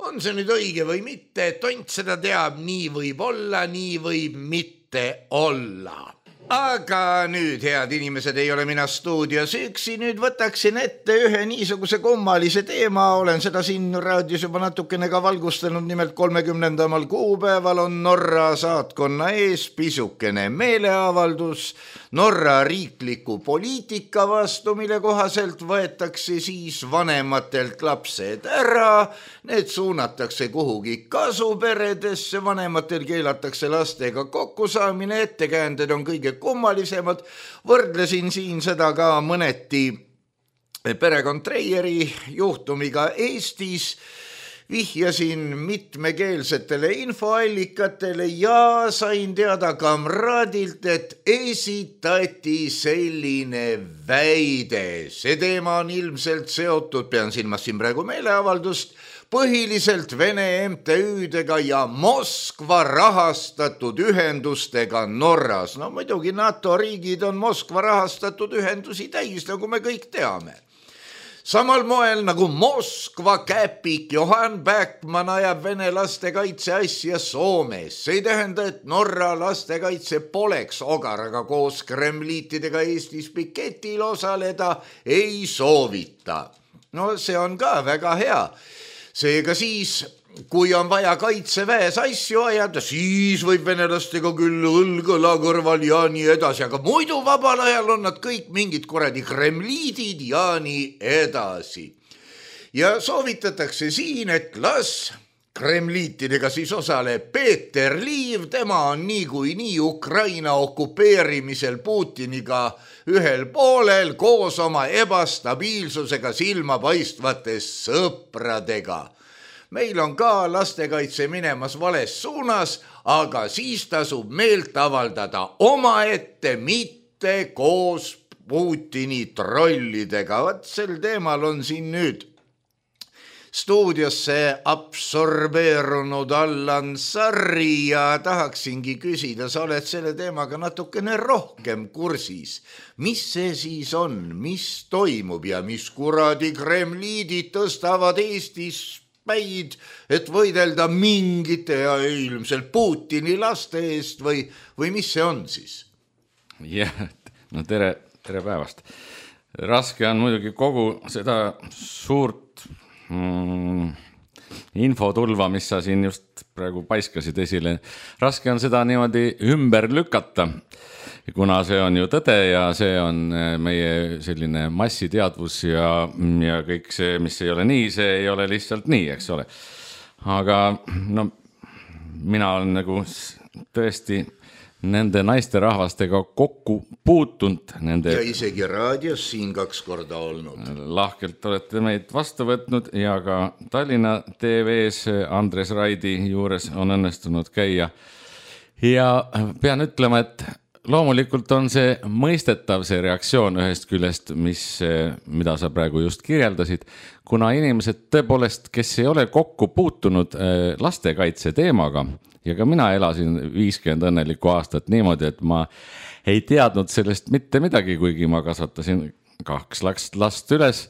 On see nüüd õige või mitte, tont seda teab, nii võib olla, nii võib mitte olla. Aga nüüd, head inimesed, ei ole mina stuudios üksi, nüüd võtaksin ette ühe niisuguse kummalise teema, olen seda siin raadios juba natukene ka valgustanud, nimelt kolmekümnendamal kuupäeval on Norra saatkonna ees pisukene meeleavaldus Norra riikliku poliitika vastu, mille kohaselt võetakse siis vanematelt lapsed ära, need suunatakse kuhugi kasuperedesse, vanematel keelatakse lastega kokkusaamine, ettekäänded on kõige kummalisemad. Võrdlesin siin seda ka mõneti perekond Treieri juhtumiga Eestis, vihjasin mitmekeelsetele infoallikatele ja sain teada kamraadilt, et esitati selline väide. See teema on ilmselt seotud, pean silmas siin praegu meeleavaldust, põhiliselt Vene M T Ü-dega ja Moskva rahastatud ühendustega Norras. No muidugi NATO riigid on Moskva rahastatud ühendusi täis, nagu me kõik teame. Samal moel nagu Moskva käpik Johan Backman ajab vene lastekaitse asja Soomes. See ei tähenda, et Norra lastekaitse poleks ogar, aga koos kremliitidega Eestis piketil osaleda ei soovita. No see on ka väga hea. Seega siis, kui on vaja kaitseväes asju ajada, siis võib venelastega küll õlgõla kõrval ja nii edasi, aga muidu vabal ajal on nad kõik mingid kuradi kremliidid ja nii edasi. Ja soovitatakse siin, et las kremliitidega siis osaleb Peeter Liiv, tema on nii kui nii Ukraina okupeerimisel Putiniga ühel poolel koos oma ebastabiilsusega silmapaistvate sõpradega. Meil on ka lastekaitse minemas vales suunas, aga siis tasub meelt avaldada omaette, mitte koos Putini trollidega. Vat sel teemal on siin nüüd stuudiosse absorbeerunud Allan Sarri ja tahaksingi küsida, sa oled selle teemaga natukene rohkem kursis. Mis see siis on, mis toimub ja mis kuradi kremliidid tõstavad Eestis päid, et võidelda mingite ja ilmselt Putini laste eest või, või mis see on siis? Jah, no tere, tere päevast. Raske on muidugi kogu seda suurt mm, infotulva, mis sa siin just praegu paiskasid esile. Raske on seda niimoodi ümber lükata, kuna see on ju tõde ja see on meie selline massiteadvus ja, ja kõik see, mis ei ole nii, see ei ole lihtsalt nii, eks ole. Aga no, mina olen nagu tõesti nende naiste rahvastega kokku puutunud. Nende... Ja isegi raadios siin kaks korda olnud. Lahkelt olete meid vastu võtnud ja ka Tallinna T V-s Andres Raidi juures on õnnestunud käia. Ja pean ütlema, et loomulikult on see mõistetav see reaktsioon ühest küljest, mis, mida sa praegu just kirjeldasid, kuna inimesed tõepoolest, kes ei ole kokku puutunud lastekaitse teemaga, ja ka mina elasin viiskümmend õnnelikku aastat niimoodi, et ma ei teadnud sellest mitte midagi, kuigi ma kasvatasin kaks last üles,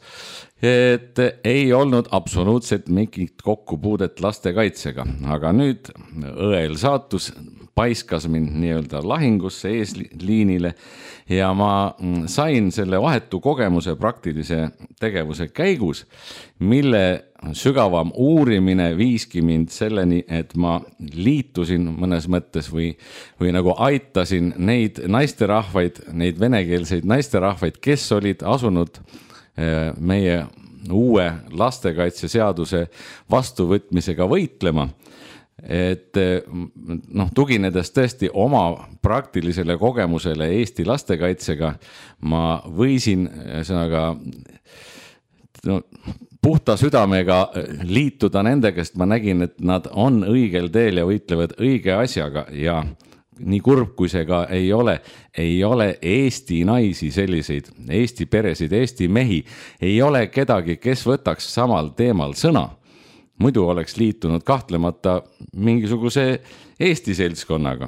et ei olnud absoluutselt mingit kokkupuudet lastekaitsega, aga nüüd õel saatus paiskas mind nii-öelda lahingusse eesliinile ja ma sain selle vahetu kogemuse praktilise tegevuse käigus, mille sügavam uurimine viiski mind selleni, et ma liitusin mõnes mõttes või, või nagu aitasin neid naisterahvaid, neid venekeelseid naisterahvaid, kes olid asunud meie uue lastekaitseseaduse vastuvõtmisega võitlema. Et noh, tuginedes tõesti oma praktilisele kogemusele Eesti lastekaitsega, ma võisin sõnaga no, puhta südamega liituda nende, kes ma nägin, et nad on õigel teel ja võitlevad õige asjaga ja nii kurb kui see ka ei ole, ei ole Eesti naisi selliseid, Eesti peresid, Eesti mehi, ei ole kedagi, kes võtaks samal teemal sõna. Muidu oleks liitunud kahtlemata mingisuguse Eesti seltskonnaga.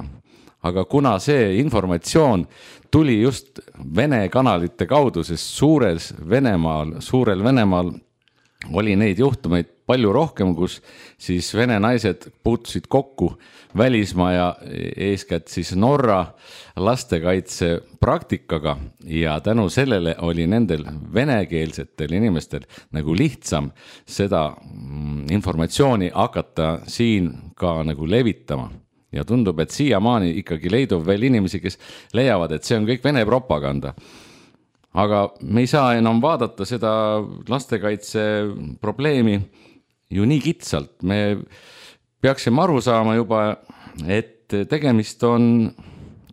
Aga kuna see informatsioon tuli just Vene kanalite kaudu, sest suures Venemaal, suurel Venemaal oli neid juhtumeid palju rohkem, kus siis vene naised puutusid kokku välismaa ja eeskätt siis Norra lastekaitse praktikaga ja tänu sellele oli nendel venekeelsetel inimestel nagu lihtsam seda informatsiooni hakata siin ka nagu levitama. Ja tundub, et siiamaani ikkagi leidub veel inimesi, kes leiavad, et see on kõik Vene propaganda. Aga me ei saa enam vaadata seda lastekaitse probleemi ju nii kitsalt. Me peaksime aru saama juba, et tegemist on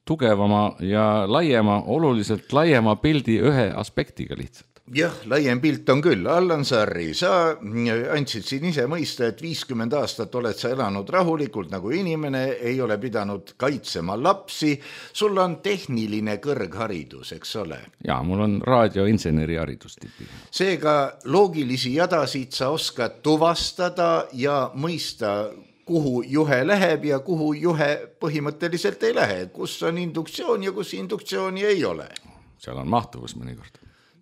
tugevama ja laiema, oluliselt laiema pildi ühe aspektiga lihtsalt. Jah, laiem pilt on küll. Allan Sarri, sa andsid siin ise mõista, et viiskümmend aastat oled sa elanud rahulikult nagu inimene, ei ole pidanud kaitsema lapsi. Sul on tehniline kõrgharidus, eks ole? Jaa, mul on raadioinseneri haridus tipi. Seega loogilisi jadasid sa oskad tuvastada ja mõista, kuhu juhe läheb ja kuhu juhe põhimõtteliselt ei lähe. Kus on induktsioon ja kus induktsiooni ei ole? Seal on mahtuvus mõnikord.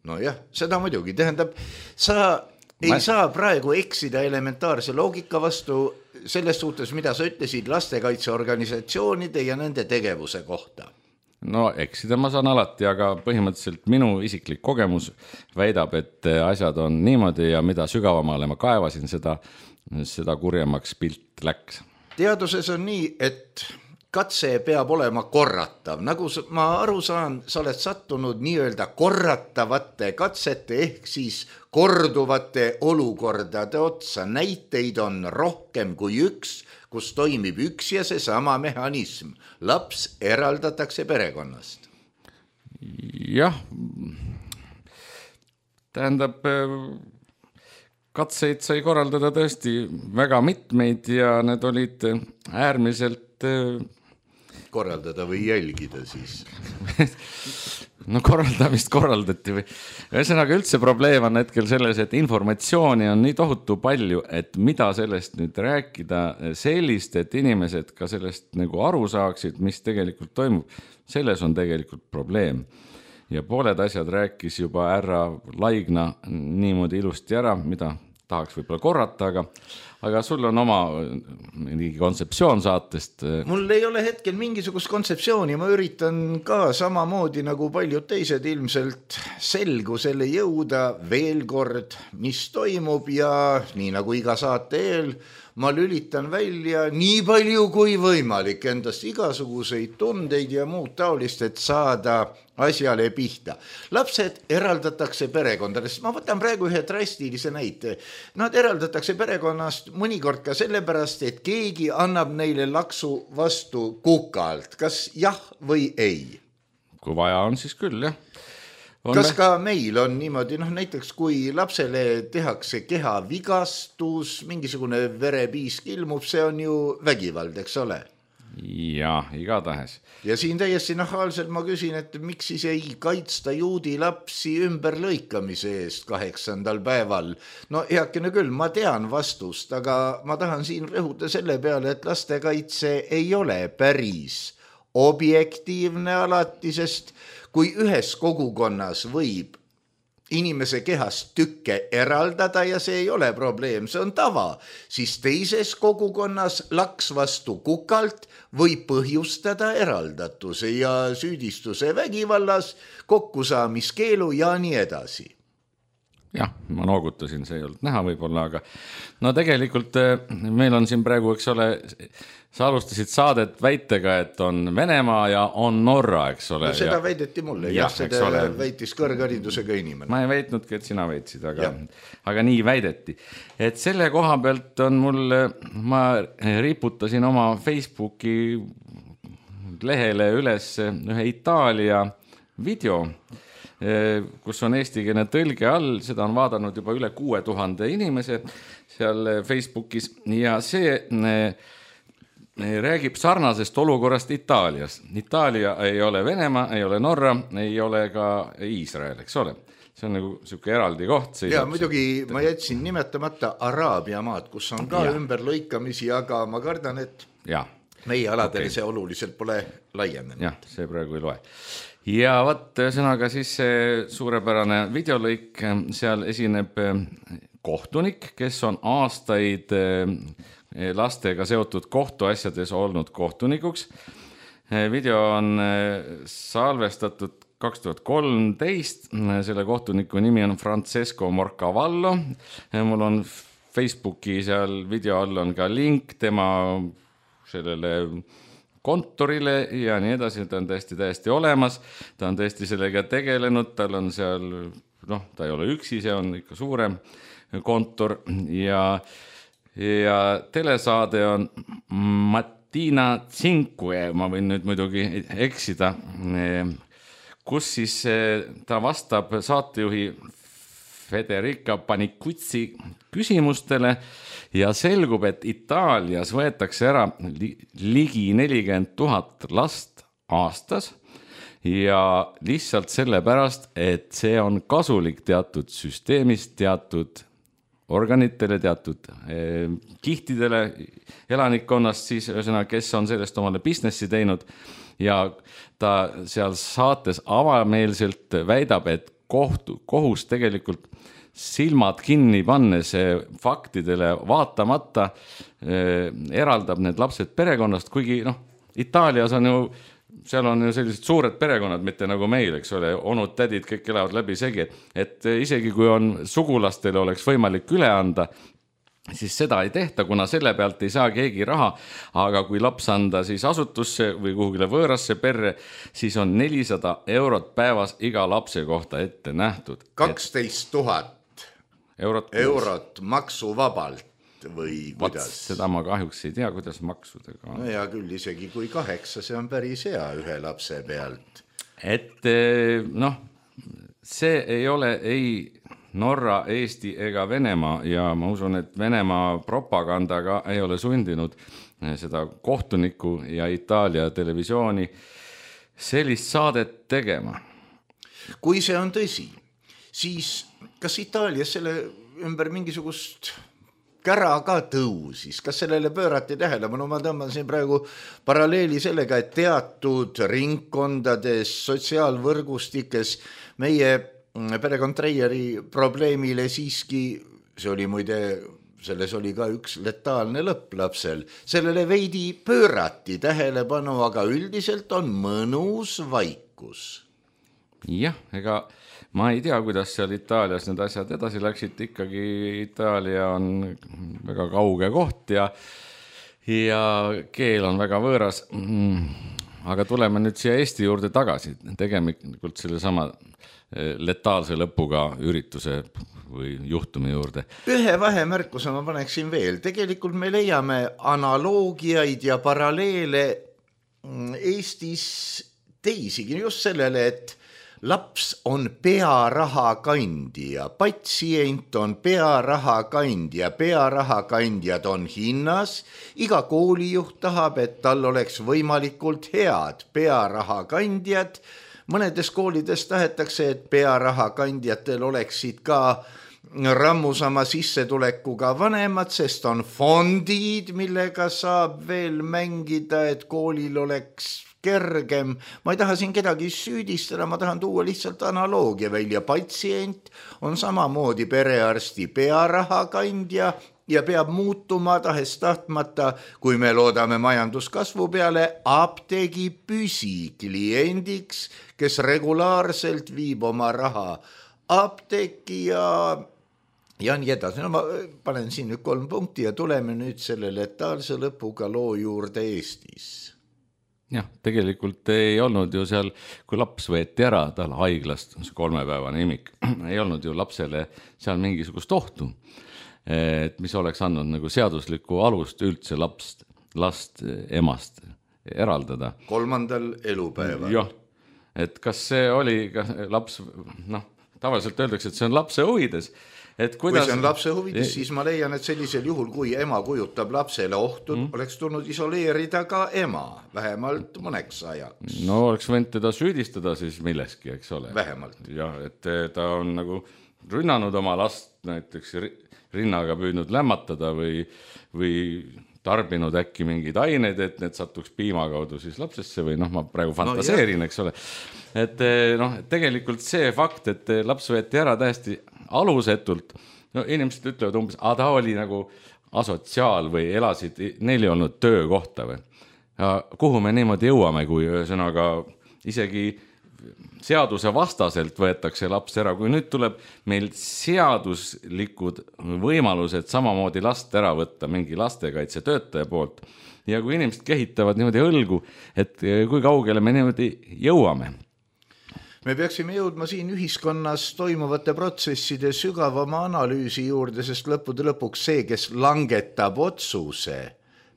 No jah, seda muidugi. Tähendab, sa ei Ma... saa praegu eksida elementaarse loogika vastu selles suhtes, mida sa ütlesid lastekaitseorganisatsioonide ja nende tegevuse kohta. No eksida ma saan alati, aga põhimõtteliselt minu isiklik kogemus väidab, et asjad on niimoodi ja mida sügavamale ma kaevasin, seda, seda kurjemaks pilt läks. Teaduses on nii, et katse peab olema korratav. Nagu ma aru saan, sa oled sattunud nii-öelda korratavate katsete ehk siis korduvate olukordade otsa. Näiteid on rohkem kui üks, kus toimib üks ja see sama mehhanism. Laps eraldatakse perekonnast. Jah, tähendab, katseid sai korraldada tõesti väga mitmeid ja need olid äärmiselt korraldada või jälgida siis? No korraldamist korraldati või. Ühesõnaga üldse probleem on hetkel selles, et informatsiooni on nii tohutu palju, et mida sellest nüüd rääkida sellist, et inimesed ka sellest nagu aru saaksid, mis tegelikult toimub. Selles on tegelikult probleem. Ja pooled asjad rääkis juba ära Laigna niimoodi ilusti ära, mida tahaks võib-olla korrata, aga, aga sul on oma kontseptsioon saatest. Mul ei ole hetkel mingisugust kontseptsiooni, ma üritan ka samamoodi nagu paljud teised ilmselt selgusele jõuda veel kord, mis toimub ja nii nagu iga saate eel, ma lülitan välja nii palju kui võimalik endast igasuguseid tundeid ja muud taolist, et saada asjale pihta. Lapsed eraldatakse perekondadest. Ma võtan praegu ühe drastilise näite. Nad eraldatakse perekonnast mõnikord ka sellepärast, et keegi annab neile laksu vastu kukalt. Kas jah või ei? Kui vaja on, siis küll, jah. On Kas ka meil on niimoodi, noh näiteks kui lapsele tehakse kehavigastus, mingisugune verepiisk ilmub, see on ju vägivald, eks ole? Ja, igatahes. Ja siin täiesti nahaalselt ma küsin, et miks siis ei kaitsta juudi lapsi ümberlõikamise eest kaheksandal päeval? No heakene küll, ma tean vastust, aga ma tahan siin rõhuda selle peale, et lastekaitse ei ole päris objektiivne alati, sest kui ühes kogukonnas võib inimese kehast tükke eraldada ja see ei ole probleem, see on tava, siis teises kogukonnas laks vastu kukalt võib põhjustada eraldatuse ja süüdistuse vägivallas, kokkusaamiskeelu ja nii edasi. Jah, ma noogutasin, see ei olnud näha võib-olla, aga no tegelikult meil on siin praegu, eks ole, sa alustasid saadet väitega, et on Venemaa ja on Norra, eks ole. No seda ja... väideti mulle, jah, seda ole... väitis kõrgharidusega inimene. Ma ei väitnudki, et sina väitsid, aga, aga nii väideti. Et selle koha pealt on mul, ma riputasin oma Facebooki lehele üles ühe Itaalia video, kus on eestikeelne tõlge all, seda on vaadanud juba üle kuue tuhande inimese seal Facebookis ja see räägib sarnasest olukorrast Itaalias. Itaalia ei ole Venemaa, ei ole Norra, ei ole ka Iisrael, eks ole. See on nagu selline eraldi koht. Ja muidugi ma jätsin nimetamata Araabia maad, kus on ka ja. ümberlõikamisi, aga ma kardan, et ja. meie aladel okay. see oluliselt pole laienenud. Jah, see praegu ei loe. ja võt ühesõnaga siis see suurepärane videolõik, seal esineb kohtunik, kes on aastaid lastega seotud kohtuasjades olnud kohtunikuks. Video on salvestatud kaks tuhat kolmteist, selle kohtuniku nimi on Francesco Morcavallo. Mul on Facebooki seal video all on ka link tema sellele kontorile ja nii edasi, ta on täiesti täiesti olemas, ta on tõesti sellega tegelenud, tal on seal, noh, ta ei ole üksi, see on ikka suurem kontor ja, ja telesaade on Mattina Cinque, ma võin nüüd muidugi eksida, kus siis ta vastab saatejuhi Federica Panicuzzi küsimustele ja selgub, et Itaalias võetakse ära ligi nelikümmend tuhat last aastas ja lihtsalt sellepärast, et see on kasulik teatud süsteemist, teatud organitele, teatud eh, kihtidele elanikkonnast, siis ühesõnaga, kes on sellest omale businessi teinud ja ta seal saates avameelselt väidab, et kohtu, kohus tegelikult silmad kinni pannes faktidele vaatamata eh, eraldab need lapsed perekonnast, kuigi noh, Itaalias on ju, seal on ju sellised suured perekonnad, mitte nagu meil, eks ole, onud, tädid, kõik elavad läbi segi, et isegi kui on sugulastele oleks võimalik üle anda, siis seda ei tehta, kuna selle pealt ei saa keegi raha, aga kui laps anda siis asutusse või kuhugile võõrasse perre, siis on nelisada eurot päevas iga lapse kohta ette nähtud. kaksteist tuhat eurot, eurot maksuvabalt või kuidas? Seda ma kahjuks ei tea, kuidas maksudega on. No ja küll isegi kui kaheksa, see on päris hea ühe lapse pealt. Et noh, see ei ole ei Norra, Eesti ega Venemaa ja ma usun, et Venemaa propagandaga ei ole sundinud seda kohtuniku ja Itaalia televisiooni sellist saadet tegema. Kui see on tõsi, siis kas Itaalias selle ümber mingisugust kära ka tõusis, kas sellele pöörati tähelepanu? Ma tõmban siin praegu paralleeli sellega, et teatud ringkondades, sotsiaalvõrgustikes meie perekond Treieri probleemile siiski, see oli muide, selles oli ka üks letaalne lõpp lapsel, sellele veidi pöörati tähelepanu, aga üldiselt on mõnus vaikus. Jah, ega ma ei tea, kuidas seal Itaalias need asjad edasi läksid, ikkagi Itaalia on väga kauge koht ja, ja keel on väga võõras. Aga tuleme nüüd siia Eesti juurde tagasi, tegelikult selle sama letaalse lõpuga ürituse või juhtumi juurde. Ühe vahemärkuse ma paneksin veel. Tegelikult me leiame analoogiaid ja paralleele Eestis teisigi just sellele, et laps on pearaha kandja, patsient on pearaha kandja, pearaha kandjad on hinnas, iga koolijuht tahab, et tal oleks võimalikult head pearaha kandjad. Mõnedes koolides tahetakse, et pearaha kandjatel oleksid ka rammusama sissetulekuga vanemad, sest on fondid, millega saab veel mängida, et koolil oleks kergem. Ma ei taha siin kedagi süüdistada, ma tahan tuua lihtsalt analoogia välja. Patsient on samamoodi perearsti pearaha kandja ja peab muutuma tahes tahtmata, kui me loodame majanduskasvu peale, apteegi püsikliendiks, kes regulaarselt viib oma raha apteeki ja, ja nii edasi. No ma panen siin nüüd kolm punkti ja tuleme nüüd selle letaalse lõpuga loo juurde Eestis. Jah, tegelikult ei olnud ju seal, kui laps võeti ära tal haiglast, see kolmepäevane imik, ei olnud ju lapsele seal mingisugust ohtu, et mis oleks andnud nagu seaduslikku alust üldse lapst, last emast eraldada. Kolmandal elupäeval. Jah, et kas see oli kas laps, noh, tavaliselt öeldakse, et see on lapse huvides. Et kuidas... Kui see on lapse huvides, siis ma leian, et sellisel juhul, kui ema kujutab lapsele ohtu, mm. oleks tulnud isoleerida ka ema, vähemalt mõneks ajaks. No oleks võinud teda süüdistada siis milleski, eks ole. Vähemalt. Ja, et ta on nagu rünnanud oma last näiteks rinnaga püüdnud lämmatada või, või tarbinud äkki mingeid aineid, et need satuks piima kaudu siis lapsesse või noh, ma praegu fantaseerin, eks ole. Et noh, tegelikult see fakt, et laps võeti ära täiesti alusetult, no inimesed ütlevad umbes, a ta oli nagu asotsiaal või elasid, neil ei olnud töökohta või. Ja kuhu me niimoodi jõuame, kui ühesõnaga isegi seaduse vastaselt võetakse laps ära, kui nüüd tuleb meil seaduslikud võimalused samamoodi last ära võtta mingi lastekaitse töötaja poolt ja kui inimesed kehitavad niimoodi õlgu, et kui kaugele me niimoodi jõuame. Me peaksime jõudma siin ühiskonnas toimuvate protsesside sügavama analüüsi juurde, sest lõppude lõpuks see, kes langetab otsuse,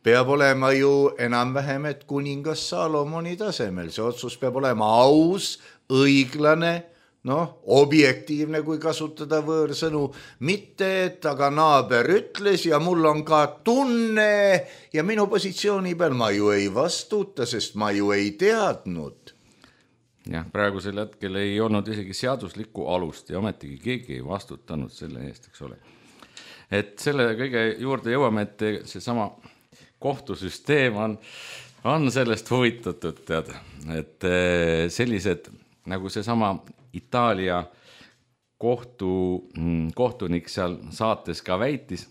peab olema ju enam-vähem, et kuningas Salomoni tasemel. See otsus peab olema aus, õiglane, noh, objektiivne, kui kasutada võõrsõnu, mitte, et aga naaber ütles ja mul on ka tunne ja minu positsiooni peal ma ju ei vastuta, sest ma ju ei teadnud. Jah, praegusel hetkel ei olnud isegi seaduslikku alust ja ometigi keegi ei vastutanud selle eest, eks ole. Et selle kõige juurde jõuame, et see sama kohtusüsteem on, on sellest huvitatud, tead, et sellised nagu see sama Itaalia kohtu, kohtunik seal saates ka väitis,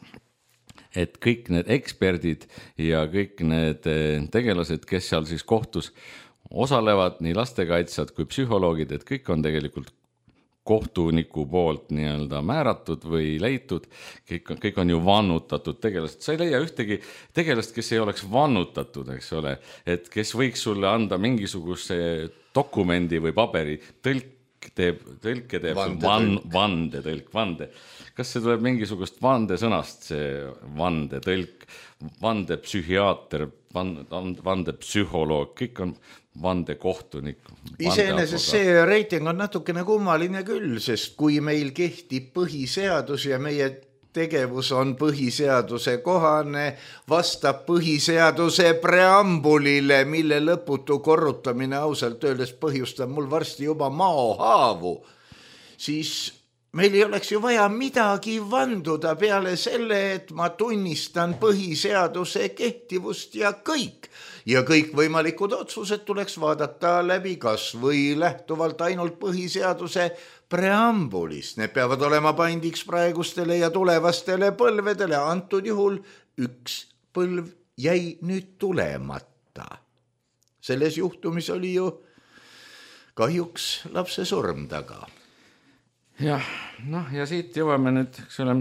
et kõik need eksperdid ja kõik need tegelased, kes seal siis kohtus osalevad, nii lastekaitsjad kui psühholoogid, et kõik on tegelikult kohtuniku poolt nii-öelda määratud või leitud, kõik, kõik on ju vannutatud tegelased. Sa ei leia ühtegi tegelast, kes ei oleks vannutatud, eks ole, et kes võiks sulle anda mingisuguse dokumendi või paberi, tõlk teeb, tõlke teeb van, vande, tõlk, vande. Kas see tuleb mingisugust vande sõnast, see vande tõlk, vande psühhiaater, vande psühholoog, kõik on vande kohtunik. Iseenesest see reiting on natukene kummaline küll, sest kui meil kehtib põhiseadus ja meie tegevus on põhiseaduse kohane, vastab põhiseaduse preambulile, mille lõputu korrutamine ausalt öeldes põhjustab mul varsti juba maohaavu, siis meil ei oleks ju vaja midagi vanduda peale selle, et ma tunnistan põhiseaduse kehtivust ja kõik. Ja kõik võimalikud otsused tuleks vaadata läbi kas või lähtuvalt ainult põhiseaduse preambulist. Need peavad olema paindiks praegustele ja tulevastele põlvedele. Antud juhul üks põlv jäi nüüd tulemata. Selles juhtumis oli ju kahjuks lapse surm taga. Jah, noh ja siit jõuame nüüd, eks ole,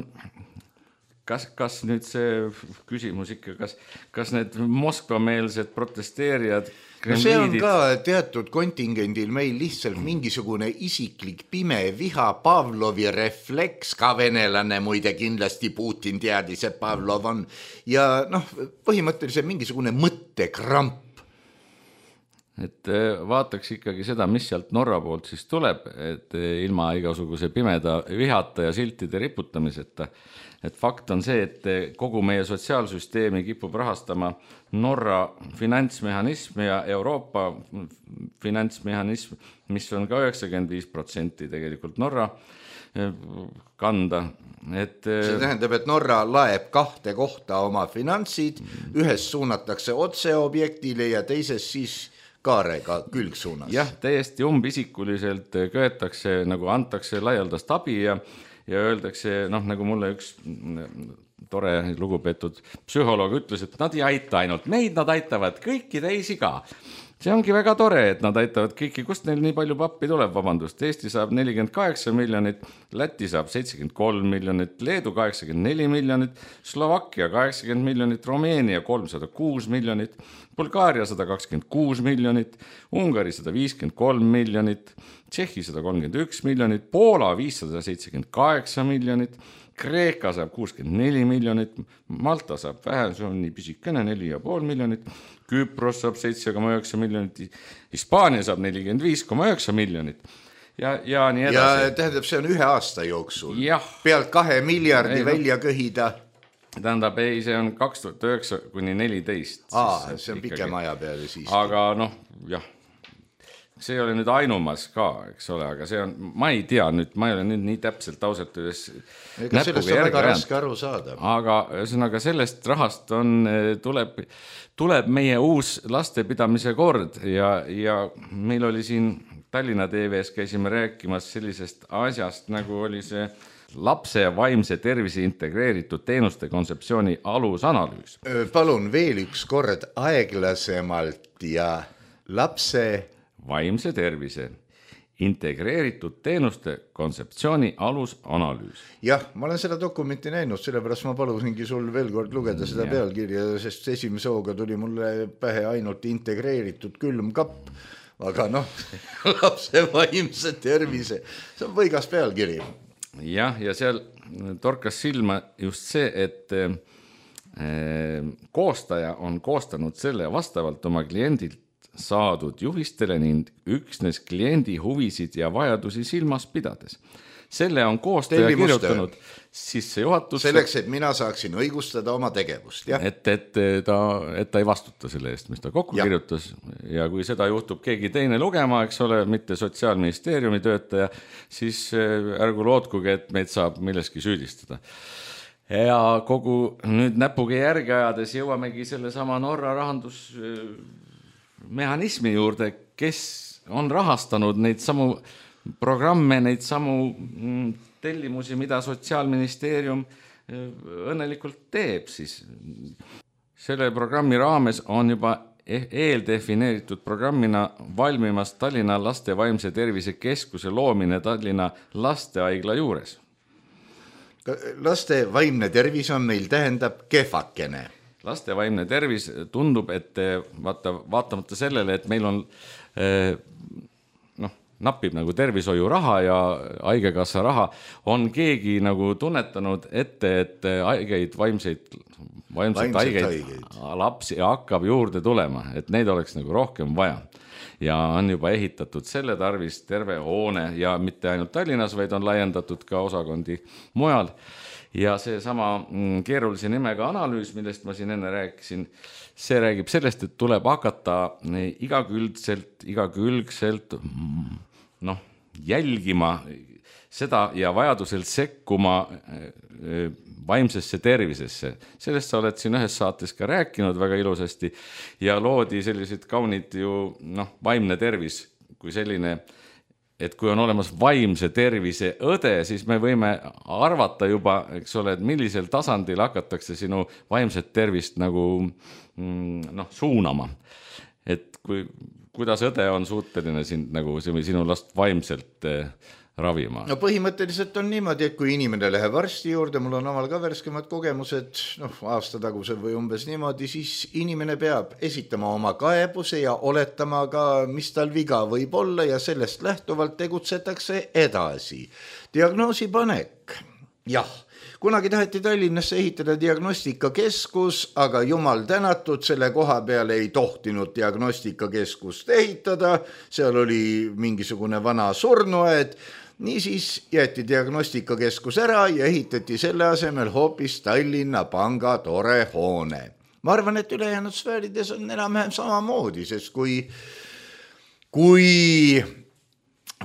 kas, kas nüüd see küsimus ikka, kas, kas need Moskva-meelsed protesteerijad no see on ka teatud kontingendil meil lihtsalt mingisugune isiklik pime viha, Pavlovi refleks, ka venelane muide kindlasti Putin teadis, et Pavlov on ja noh, põhimõtteliselt mingisugune mõttekramp. Et vaataks ikkagi seda, mis sealt Norra poolt siis tuleb, et ilma igasuguse pimeda vihata ja siltide riputamiseta. Et fakt on see, et kogu meie sotsiaalsüsteemi kipub rahastama Norra finantsmehhanism ja Euroopa finantsmehhanism, mis on ka üheksakümmend viis protsenti tegelikult Norra kanda. Et see tähendab, et Norra laeb kahte kohta oma finantsid, ühes suunatakse otse objektile ja teises siis kaarega külgsuunas. Jah, täiesti umbisikuliselt köetakse, nagu antakse laialdast abi ja ja öeldakse, noh, nagu mulle üks tore lugupeetud psühholoog ütles, et nad ei aita ainult meid, nad aitavad kõiki teisi ka. See ongi väga tore, et nad aitavad kõiki, kust neil nii palju pappi tuleb, vabandust. Eesti saab nelikümmend kaheksa miljonit, Läti saab seitsekümmend kolm miljonit, Leedu kaheksakümmend neli miljonit, Slovakkia kaheksakümmend miljonit, Rumeenia kolmsada kuus miljonit, Bulgaaria sada kakskümmend kuus miljonit, Ungari sada viiskümmend kolm miljonit, Tšehhi sada kolmkümmend üks miljonit, Poola viissada seitsekümmend kaheksa miljonit, Kreeka saab kuuskümmend neli miljonit, Malta saab vähe, see on nii pisikene, neli ja pool miljonit, Küpros saab seitse koma üheksa miljonit, Hispaania saab nelikümmend viis koma üheksa miljonit ja, ja nii edasi. Ja tähendab, see on ühe aasta jooksul. Jah. Pealt kahe miljardi ei, välja köhida. Tähendab, ei, see on kaks tuhat üheksa kuni neliteist. Aa, see on pikem aja peale siis. Aga noh, jah. see ei ole nüüd ainumas ka, eks ole, aga see on, ma ei tea nüüd, ma ei ole nüüd nii täpselt ausalt üles ega sellest on väga raske aru saada. Aga ühesõnaga sellest rahast on, tuleb, tuleb meie uus lastepidamise kord ja, ja meil oli siin Tallinna T V-s käisime rääkimas sellisest asjast, nagu oli see lapse vaimse tervise integreeritud teenuste kontseptsiooni alusanalüüs. Palun veel üks kord aeglasemalt ja lapse vaimse tervise integreeritud teenuste kontseptsiooni alusanalüüs. Jah, ma olen seda dokumenti näinud, sellepärast ma palusingi sul veel kord lugeda seda ja. pealkirja, sest esimese hooga tuli mulle pähe ainult integreeritud külmkapp, aga noh, lapse vaimse tervise, see on võigas pealkiri. Jah, ja seal torkas silma just see, et koostaja on koostanud selle vastavalt oma kliendilt saadud juhistele ning üksnes kliendi huvisid ja vajadusi silmas pidades. Selle on koostaja Tellimuste. kirjutanud sisse juhatusse. Selleks, et mina saaksin õigustada oma tegevust. Jah. Et, et, ta, et ta ei vastuta selle eest, mis ta kokku ja. kirjutas. Ja kui seda juhtub keegi teine lugema, eks ole, mitte Sotsiaalministeeriumi töötaja, siis ärgu lootkuge, et meid saab milleski süüdistada. Ja kogu nüüd näpuge järgi ajades jõuamegi selle sama Norra rahandus mehhanismi juurde, kes on rahastanud neid samu programme, neid samu tellimusi, mida Sotsiaalministeerium õnnelikult teeb, siis selle programmi raames on juba eeldefineeritud programmina valmimas Tallinna laste vaimse tervise keskuse loomine Tallinna lastehaigla juures. Laste vaimne tervis on meil tähendab kehvakene. Laste vaimne tervis tundub, et vaata, vaatamata sellele, et meil on noh, napib nagu tervishoiu raha ja haigekassa raha, on keegi nagu tunnetanud ette, et haigeid, vaimseid, vaimseid haigeid, haigeid lapsi hakkab juurde tulema, et neid oleks nagu rohkem vaja. Ja on juba ehitatud selle tarvis terve hoone ja mitte ainult Tallinnas, vaid on laiendatud ka osakondi mujal. Ja see sama keerulise nimega analüüs, millest ma siin enne rääkisin, see räägib sellest, et tuleb hakata igakülgselt, igakülgselt noh, jälgima seda ja vajadusel sekkuma vaimsesse tervisesse. Sellest sa oled siin ühes saates ka rääkinud väga ilusasti ja loodi sellised kaunid ju noh, vaimne tervis kui selline, et kui on olemas vaimse tervise õde, siis me võime arvata juba, eks ole, et millisel tasandil hakatakse sinu vaimset tervist nagu noh, suunama. Et kui, kuidas õde on suuteline sind nagu sinu last vaimselt ravima? No põhimõtteliselt on niimoodi, et kui inimene läheb arsti juurde, mul on omal ka värskemad kogemused, noh, aasta tagusel või umbes niimoodi, siis inimene peab esitama oma kaebuse ja oletama ka, mis tal viga võib olla ja sellest lähtuvalt tegutsetakse edasi. Diagnoosi panek. Jah, kunagi taheti Tallinnasse ehitada diagnostikakeskus, aga jumal tänatud, selle koha peale ei tohtinud diagnostikakeskust ehitada, seal oli mingisugune vana surnuaed. Niisiis jäeti diagnostikakeskus ära ja ehitati selle asemel hoopis Tallinna Panga tore hoone. Ma arvan, et ülejäänud sfäärides on enam-vähem samamoodi, sest kui, kui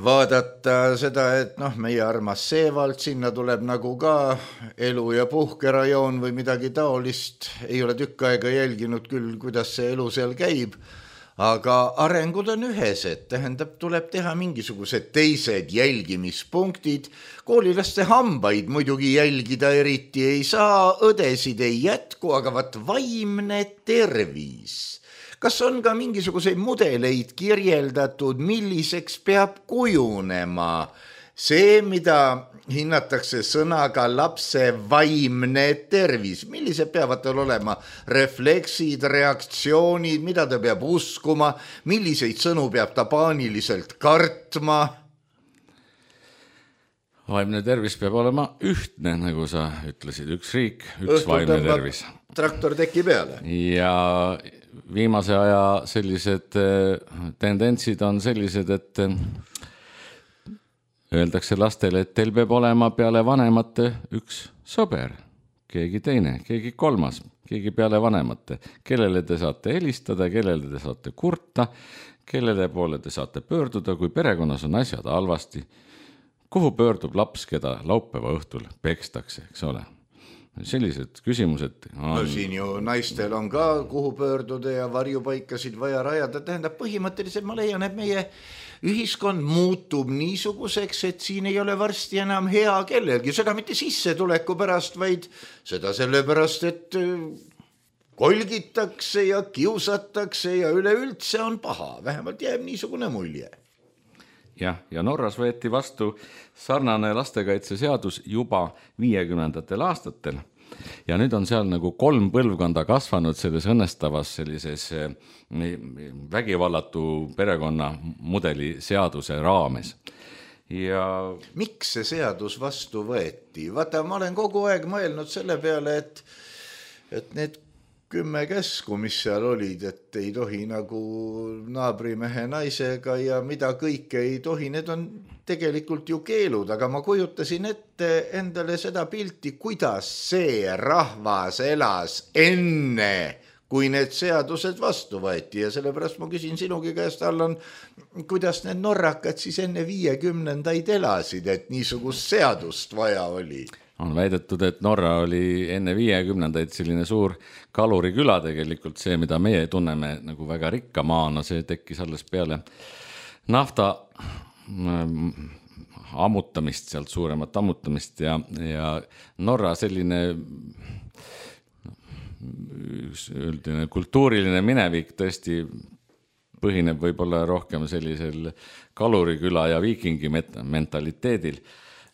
vaadata seda, et noh, meie armas Seevald, sinna tuleb nagu ka elu- ja puhkerajoon või midagi taolist, ei ole tükk aega jälginud küll, kuidas see elu seal käib, aga arengud on ühesed, tähendab, tuleb teha mingisugused teised jälgimispunktid, koolilaste hambaid muidugi jälgida eriti ei saa, õdesid ei jätku, aga vat vaimne tervis. Kas on ka mingisuguseid mudeleid kirjeldatud, milliseks peab kujunema see, mida hinnatakse sõnaga lapse vaimne tervis? Millised peavad tal olema refleksid, reaktsioonid, mida ta peab uskuma, milliseid sõnu peab ta paaniliselt kartma? Vaimne tervis peab olema ühtne, nagu sa ütlesid, üks riik, üks Õhtul vaimne tervis. Traktor teki peale. Ja viimase aja sellised tendentsid on sellised, et öeldakse lastele, et teil peab olema peale vanemate üks sõber, keegi teine, keegi kolmas, keegi peale vanemate, kellele te saate helistada, kellele te saate kurta, kellele poole te saate pöörduda, kui perekonnas on asjad halvasti. Kuhu pöördub laps, keda laupäeva õhtul pekstakse, eks ole? Sellised küsimused on... No siin ju naistel on ka kuhu pöörduda ja varjupaikasid vaja rajada. Tähendab, põhimõtteliselt ma leian, et meie ühiskond muutub niisuguseks, et siin ei ole varsti enam hea kellelgi. Seda mitte sissetuleku pärast, vaid seda sellepärast, et kolgitakse ja kiusatakse ja üleüldse on paha. Vähemalt jääb niisugune mulje. Jah, ja Norras võeti vastu sarnane lastekaitseseadus juba viiekümnendatel aastatel ja nüüd on seal nagu kolm põlvkonda kasvanud selles õnnestavas sellises vägivallatu perekonna mudeli seaduse raames. Ja... Miks see seadus vastu võeti? Vaata, ma olen kogu aeg mõelnud selle peale, et, et need kümme käsku, mis seal olid, et ei tohi nagu naabrimehe naisega ja mida kõike ei tohi, need on tegelikult ju keelud, aga ma kujutasin ette endale seda pilti, kuidas see rahvas elas enne, kui need seadused vastu võeti ja sellepärast ma küsin sinugi käest, Allan, kuidas need norrakad siis enne viiekümnendaid elasid, et niisugust seadust vaja oli? On väidetud, et Norra oli enne viiekümnendaid selline suur kaluriküla tegelikult, see, mida meie tunneme nagu väga rikka maana, see tekkis alles peale nafta ammutamist, sealt suuremat ammutamist ja, ja Norra selline üldine kultuuriline minevik tõesti põhineb võib-olla rohkem sellisel kaluriküla ja viikingi mentaliteedil.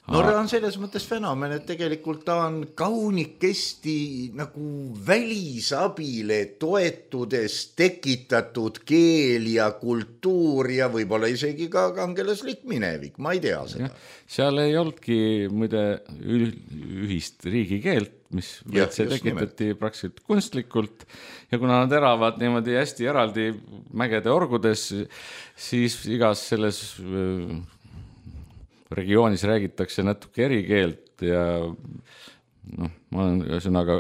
Norra on selles mõttes fenomen, et tegelikult ta on kaunikesti nagu välisabile toetudes tekitatud keel ja kultuur ja võib-olla isegi ka kangelaslik minevik, ma ei tea seda. Ja, seal ei olnudki muide ühist riigikeelt, mis ja, see tekitati praktiliselt kunstlikult ja kuna nad elavad niimoodi hästi eraldi mägede orgudes, siis igas selles regioonis räägitakse natuke erikeelt ja noh, ma olen ühesõnaga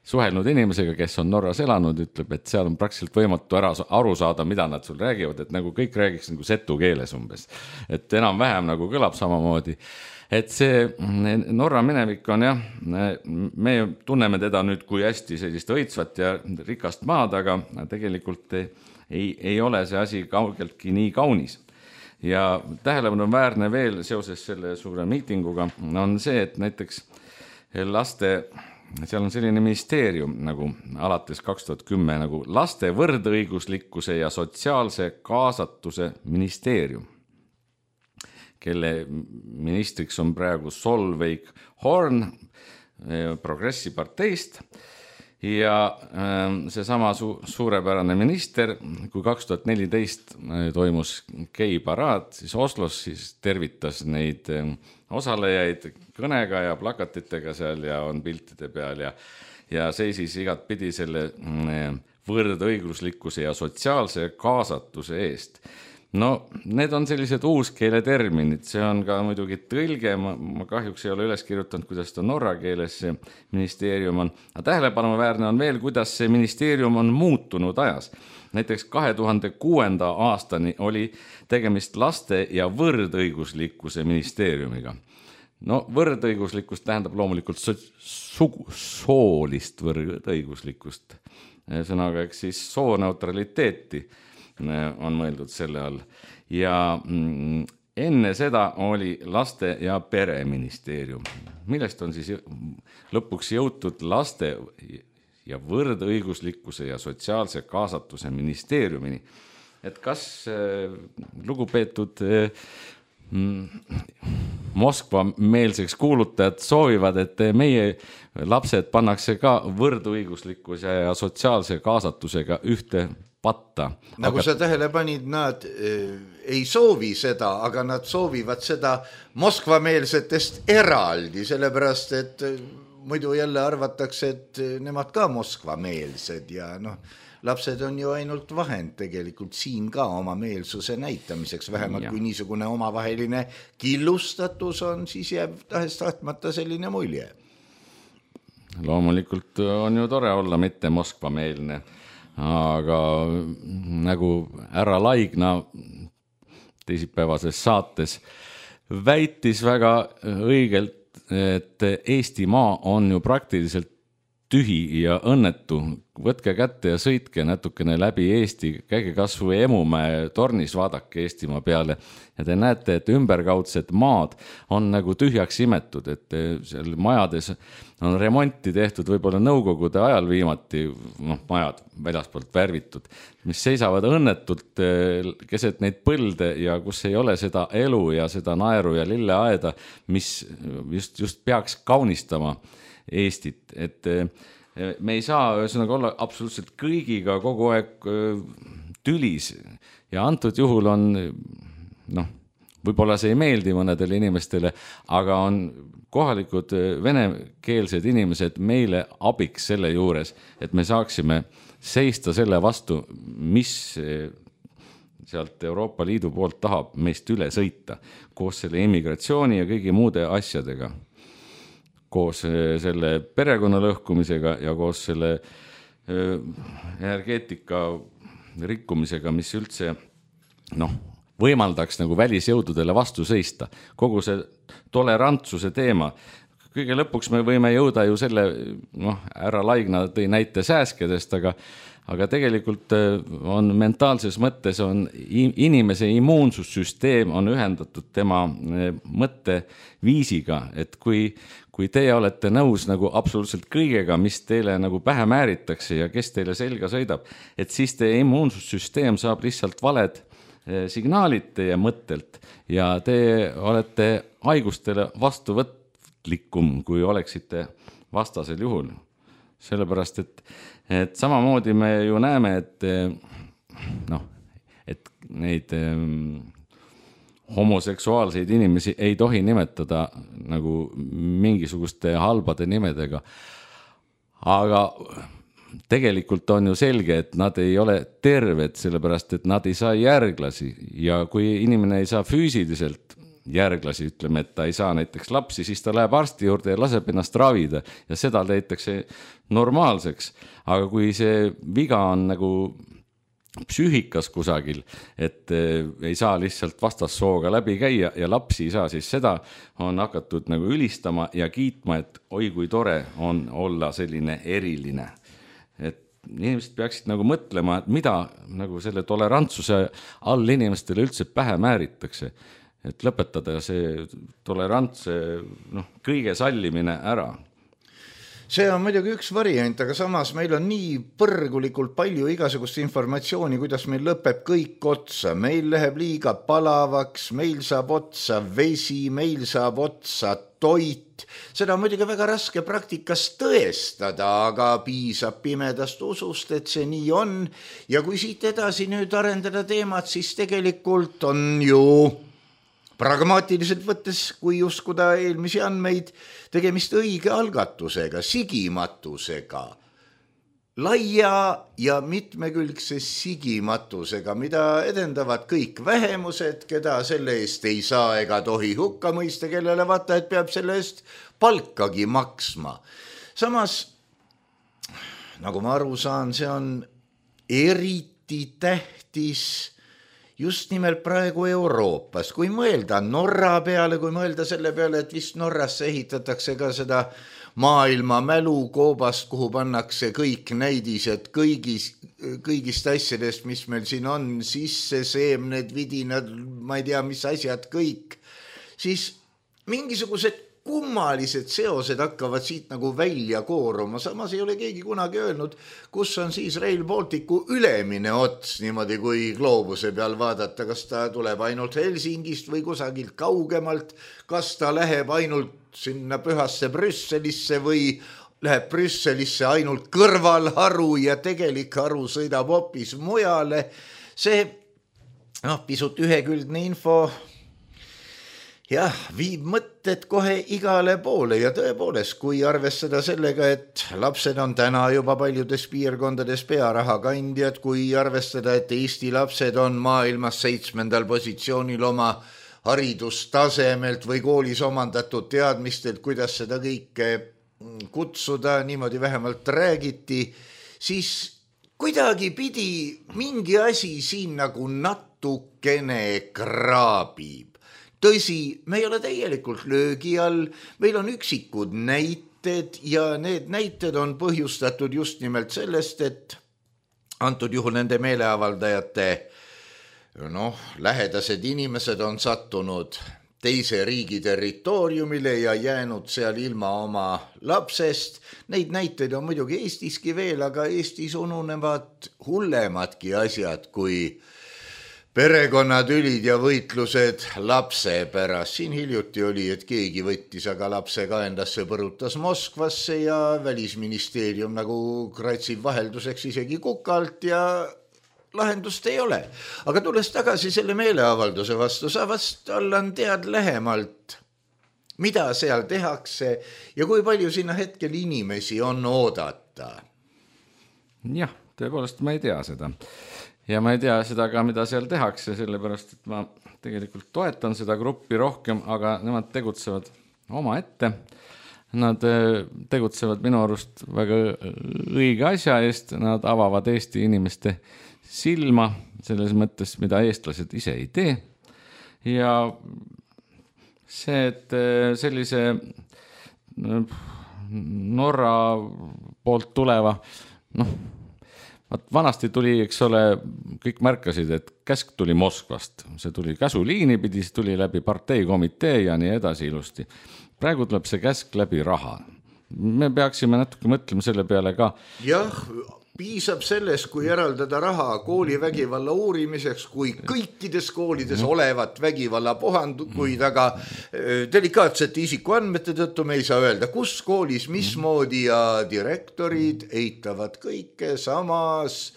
suhelnud inimesega, kes on Norras elanud, ütleb, et seal on praktiliselt võimatu ära aru saada, mida nad sul räägivad, et nagu kõik räägiks nagu setu keeles umbes, et enam-vähem nagu kõlab samamoodi. Et see Norra minevik on jah, me tunneme teda nüüd kui hästi sellist õitsvat ja rikast maad, aga tegelikult ei, ei ole see asi kaugeltki nii kaunis. Ja tähelepanu on väärne veel seoses selle suure miitinguga on see, et näiteks laste, seal on selline ministeerium nagu alates kaks tuhat kümme nagu laste võrdõiguslikkuse ja sotsiaalse kaasatuse ministeerium, kelle ministriks on praegu Solveig Horn Progressi parteist. Ja see sama su- suurepärane minister, kui kaks tuhat neliteist toimus geiparaad, siis Oslos siis tervitas neid osalejaid kõnega ja plakatitega seal ja on piltide peal ja, ja seisis igat pidi selle võrdõiguslikkuse ja sotsiaalse kaasatuse eest. No, need on sellised uuskeele terminid, see on ka muidugi tõlge, ma, ma kahjuks ei ole üles kirjutanud, kuidas ta norra keeles see ministeerium on. Aga tähelepanuväärne on veel, kuidas see ministeerium on muutunud ajas. Näiteks kahe tuhande kuuenda aastani oli tegemist laste ja võrdõiguslikkuse ministeeriumiga. No võrdõiguslikkust tähendab loomulikult so- sugu- soolist võrdõiguslikkust. Sõnaga, eks siis sooneutraliteeti on mõeldud selle all. Ja enne seda oli laste- ja pereministeerium, millest on siis lõpuks jõutud laste ja võrdõiguslikkuse ja sotsiaalse kaasatuse ministeeriumini. Et kas lugupeetud Moskva meelseks kuulutajad soovivad, et meie lapsed pannakse ka võrdõiguslikkuse ja sotsiaalse kaasatusega ühte patta. Nagu aga... sa tähele panid, nad äh, ei soovi seda, aga nad soovivad seda Moskva-meelsetest eraldi, sellepärast, et äh, muidu jälle arvatakse, et nemad ka Moskva-meelsed ja noh, lapsed on ju ainult vahend tegelikult siin ka oma meelsuse näitamiseks, vähemalt ja. Kui niisugune omavaheline killustatus on, siis jääb tahest tahtmata selline mulje. loomulikult on ju tore olla mitte Moskva-meelne, aga nagu härra Laigna teisipäevases saates väitis väga õigelt, et Eesti maa on ju praktiliselt tühi ja õnnetu. Võtke kätte ja sõitke natukene läbi Eesti, käige kas või Emumäe tornis, vaadake Eestimaa peale ja te näete, et ümberkaudsed maad on nagu tühjaks imetud, et seal majades on remonti tehtud võib-olla nõukogude ajal viimati, noh, majad väljaspoolt värvitud, mis seisavad õnnetult keset neid põlde ja kus ei ole seda elu ja seda naeru ja lilleaeda, mis just, just peaks kaunistama Eestit, et me ei saa ühesõnaga olla absoluutselt kõigiga kogu aeg tülis ja antud juhul on, noh, võib-olla see ei meeldi mõnedele inimestele, aga on kohalikud venekeelsed inimesed meile abiks selle juures, et me saaksime seista selle vastu, mis sealt Euroopa Liidu poolt tahab meist üle sõita koos selle immigratsiooni ja kõigi muude asjadega. Koos selle perekonna lõhkumisega ja koos selle energeetika rikkumisega, mis üldse noh, võimaldaks nagu välisjõududele vastu seista. Kogu see tolerantsuse teema. Kõige lõpuks me võime jõuda ju selle, noh, härra Laigna tõi näite sääskedest, aga aga tegelikult on mentaalses mõttes on inimese immuunsussüsteem on ühendatud tema mõtteviisiga, et kui, kui teie olete nõus nagu absoluutselt kõigega, mis teile nagu pähe määritakse ja kes teile selga sõidab, et siis teie immuunsussüsteem saab lihtsalt valed signaalid teie mõttelt ja te olete haigustele vastuvõtlikum, kui oleksite vastasel juhul. Sellepärast, et, et samamoodi me ju näeme, et, noh, et neid homoseksuaalseid inimesi ei tohi nimetada nagu mingisuguste halbade nimedega. Aga tegelikult on ju selge, et nad ei ole terved, sellepärast, et nad ei saa järglasi ja kui inimene ei saa füüsiliselt järglasi, ütleme, et ta ei saa näiteks lapsi, siis ta läheb arsti juurde ja laseb ennast ravida ja seda leitakse normaalseks. Aga kui see viga on nagu psüühikas kusagil, et ei saa lihtsalt vastassooga läbi käia ja lapsi ei saa, siis seda on hakatud nagu ülistama ja kiitma, et oi kui tore on olla selline eriline. Et inimesed peaksid nagu mõtlema, et mida nagu selle tolerantsuse all inimestele üldse pähe määritakse. Et lõpetada see tolerantse noh, kõige sallimine ära. See on muidugi üks variant, aga samas meil on nii põrgulikult palju igasugust informatsiooni, kuidas meil lõpeb kõik otsa. Meil läheb liiga palavaks, meil saab otsa vesi, meil saab otsa toit. Seda on muidugi väga raske praktikas tõestada, aga piisab pimedast usust, et see nii on. Ja kui siit edasi nüüd arendada teemat, siis tegelikult on ju pragmaatiliselt võttes, kui uskuda eelmisi andmeid, tegemist õige algatusega, sigimatusega, laia ja mitmekülgse sigimatusega, mida edendavad kõik vähemused, keda selle eest ei saa ega tohi hukka mõista, kellele vaata, et peab selle eest palkagi maksma. Samas, nagu ma aru saan, see on eriti tähtis just nimelt praegu Euroopas, kui mõelda Norra peale, kui mõelda selle peale, et vist Norrasse ehitatakse ka seda maailma mälukoobast, kuhu pannakse kõik näidised kõigis, kõigist asjadest, mis meil siin on, sisse seemned, vidinad, ma ei tea, mis asjad kõik, siis mingisugused kummalised seosed hakkavad siit nagu välja kooruma. Samas ei ole keegi kunagi öelnud, kus on siis Rail Balticu ülemine ots, niimoodi kui gloobuse peal vaadata, kas ta tuleb ainult Helsingist või kusagilt kaugemalt, kas ta läheb ainult sinna pühasse Brüsselisse või läheb Brüsselisse ainult kõrvalharu ja tegelik haru sõidab hoopis mujale. See noh, pisut ühekülgne info jah, viib mõtted kohe igale poole ja tõepoolest, kui arvestada sellega, et lapsed on täna juba paljudes piirkondades pearaha kandjad, kui arvestada, et Eesti lapsed on maailmas seitsmendal positsioonil oma haridustasemelt või koolis omandatud teadmistelt, kuidas seda kõike kutsuda, niimoodi vähemalt räägiti, siis kuidagi pidi mingi asi siin nagu natukene kraabib. Tõsi, me ei ole täielikult löögi all, meil on üksikud näited ja need näited on põhjustatud just nimelt sellest, et antud juhul nende meeleavaldajate noh, lähedased inimesed on sattunud teise riigi territooriumile ja jäänud seal ilma oma lapsest. Neid näiteid on muidugi Eestiski veel, aga Eestis ununevad hullemadki asjad kui perekonnatülid ja võitlused lapse pärast. Siin hiljuti oli, et keegi võttis aga lapse kaendasse, põrutas Moskvasse ja välisministeerium nagu kratsib vahelduseks isegi kukalt ja lahendust ei ole. Aga tulles tagasi selle meeleavalduse vastu, sa vast Allan tead lähemalt, mida seal tehakse ja kui palju sinna hetkel inimesi on oodata? Jah, tõepoolest ma ei tea seda. Ja ma ei tea seda ka, mida seal tehakse, sellepärast, et ma tegelikult toetan seda gruppi rohkem, aga nemad tegutsevad oma ette. Nad tegutsevad minu arust väga õige asja eest, nad avavad Eesti inimeste silma selles mõttes, mida eestlased ise ei tee. Ja see, et sellise Norra poolt tuleva, noh, vanasti tuli, eks ole, kõik märkasid, et käsk tuli Moskvast. See tuli käsuliini pidi, see tuli läbi parteikomitee ja nii edasi ilusti. Praegu tuleb see käsk läbi raha. Me peaksime natuke mõtlema selle peale ka. Jah, piisab sellest, kui eraldada raha koolivägivalla uurimiseks, kui kõikides koolides olevat vägivalla puhandukuid, aga delikaatsete isikuandmete tõttu me ei saa öelda, kus koolis, mismoodi ja direktorid eitavad kõike, samas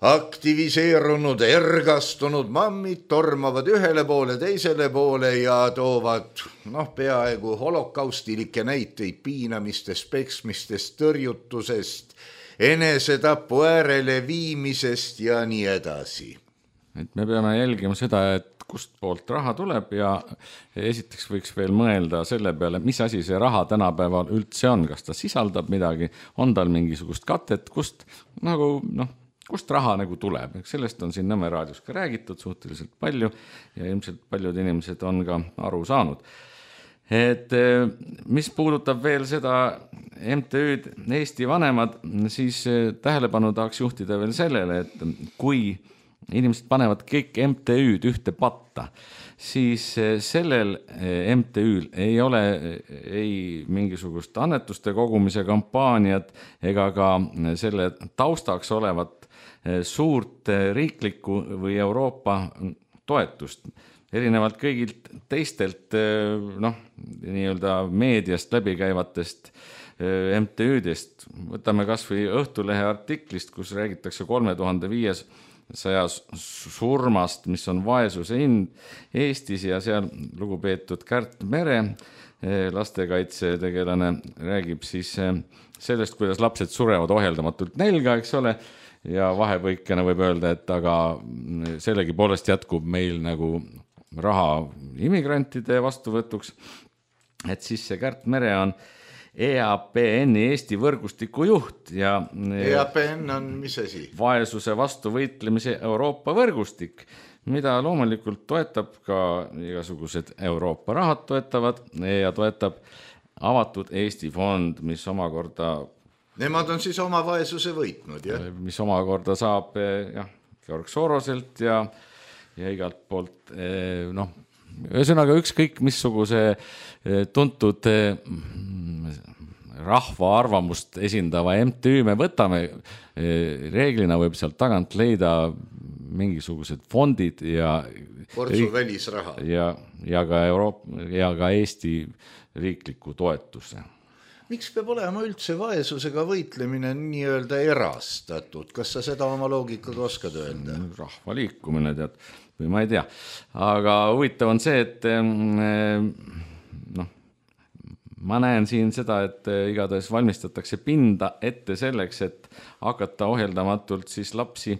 aktiviseerunud, ergastunud mammid tormavad ühele poole, teisele poole ja toovad noh, peaaegu holokaustilikke näiteid piinamistest, peksmistest, tõrjutusest, enesetapu äärele viimisest ja nii edasi. Et me peame jälgima seda, et kust poolt raha tuleb ja esiteks võiks veel mõelda selle peale, mis asi see raha tänapäeval üldse on, kas ta sisaldab midagi, on tal mingisugust katet, kust, nagu, noh, kust raha nagu tuleb. Sellest on siin Nõmme raadios ka räägitud suhteliselt palju ja ilmselt paljud inimesed on ka aru saanud. Et mis puudutab veel seda M T Ü'd Eesti vanemad, siis tähelepanu tahaks juhtida veel sellele, et kui inimesed panevad kõik M T Ü'd ühte patta, siis sellel M T Ü'l ei ole ei mingisugust annetuste kogumise kampaaniat ega ka selle taustaks olevat suurt riiklikku või Euroopa toetust. Erinevalt kõigilt teistelt noh, nii-öelda meediast läbikäivatest M T Ü'dest. Võtame kas või Õhtulehe artiklist, kus räägitakse kolme tuhande viiesaja surmast, mis on vaesuse hind Eestis ja seal lugupeetud Kärt Mere, lastekaitsetegelane, räägib siis sellest, kuidas lapsed surevad ohjeldamatult nälga, eks ole, ja vahepõikena võib öelda, et aga sellegi poolest jätkub meil nagu raha immigrantide vastuvõtuks, et siis see Kärt Mere on E A P N-i Eesti võrgustiku juht ja E A P N on mis asi? Vaesuse vastu võitlemise Euroopa võrgustik, mida loomulikult toetab ka igasugused Euroopa rahad toetavad ja toetab avatud Eesti fond, mis omakorda Nemad on siis oma vaesuse võitnud, jah? Mis omakorda saab jah, Georg Soroselt ja ja igalt poolt, noh, ühesõnaga ükskõik missuguse tuntud rahva arvamust esindava M T Ü me võtame, reeglina võib sealt tagant leida mingisugused fondid ja Portsu välisraha ja, ja, ka Euroopa, ja ka Eesti riikliku toetuse. Miks peab olema üldse vaesusega võitlemine nii-öelda erastatud? Kas sa seda oma loogikaga oskad öelda? Rahva liikumine, tead, või ma ei tea. Aga huvitav on see, et noh, ma näen siin seda, et igatahes valmistatakse pinda ette selleks, et hakata ohjeldamatult siis lapsi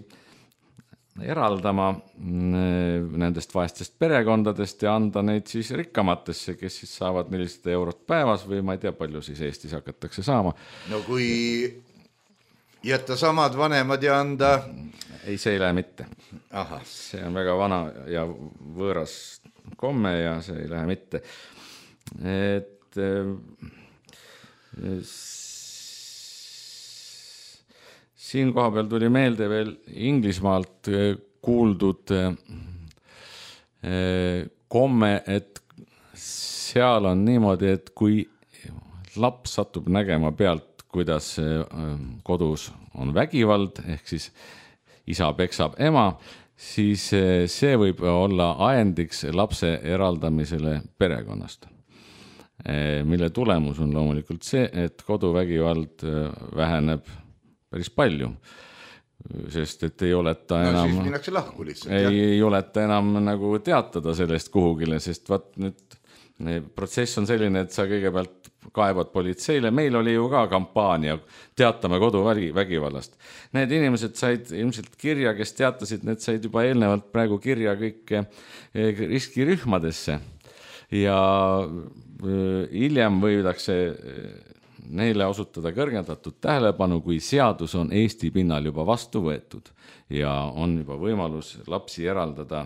eraldama nendest vaestest perekondadest ja anda neid siis rikkamatesse, kes siis saavad nelisada eurot päevas või ma ei tea, palju siis Eestis hakatakse saama. No kui jätta samad vanemad ja anda... Ei, see ei lähe mitte. Aha. See on väga vana ja võõras komme ja see ei lähe mitte. Et siin koha peal tuli meelde veel Inglismaalt kuuldud komme, et seal on niimoodi, et kui laps satub nägema pealt, kuidas kodus on vägivald, ehk siis isa peksab ema, siis see võib olla ajendiks lapse eraldamisele perekonnast, mille tulemus on loomulikult see, et koduvägivald väheneb päris palju, sest et ei oleta enam... No siis minnakse lahku lihtsalt. Ei, ei oleta enam nagu teatada sellest kuhugile, sest vaat nüüd protsess on selline, et sa kõigepealt kaebad politseile. Meil oli ju ka kampaania teatame koduvägivallast. Need inimesed said ilmselt kirja, kes teatasid, need said juba eelnevalt praegu kirja kõik riskirühmadesse ja hiljem võidakse neile osutada kõrgendatud tähelepanu, kui seadus on Eesti pinnal juba vastu võetud ja on juba võimalus lapsi eraldada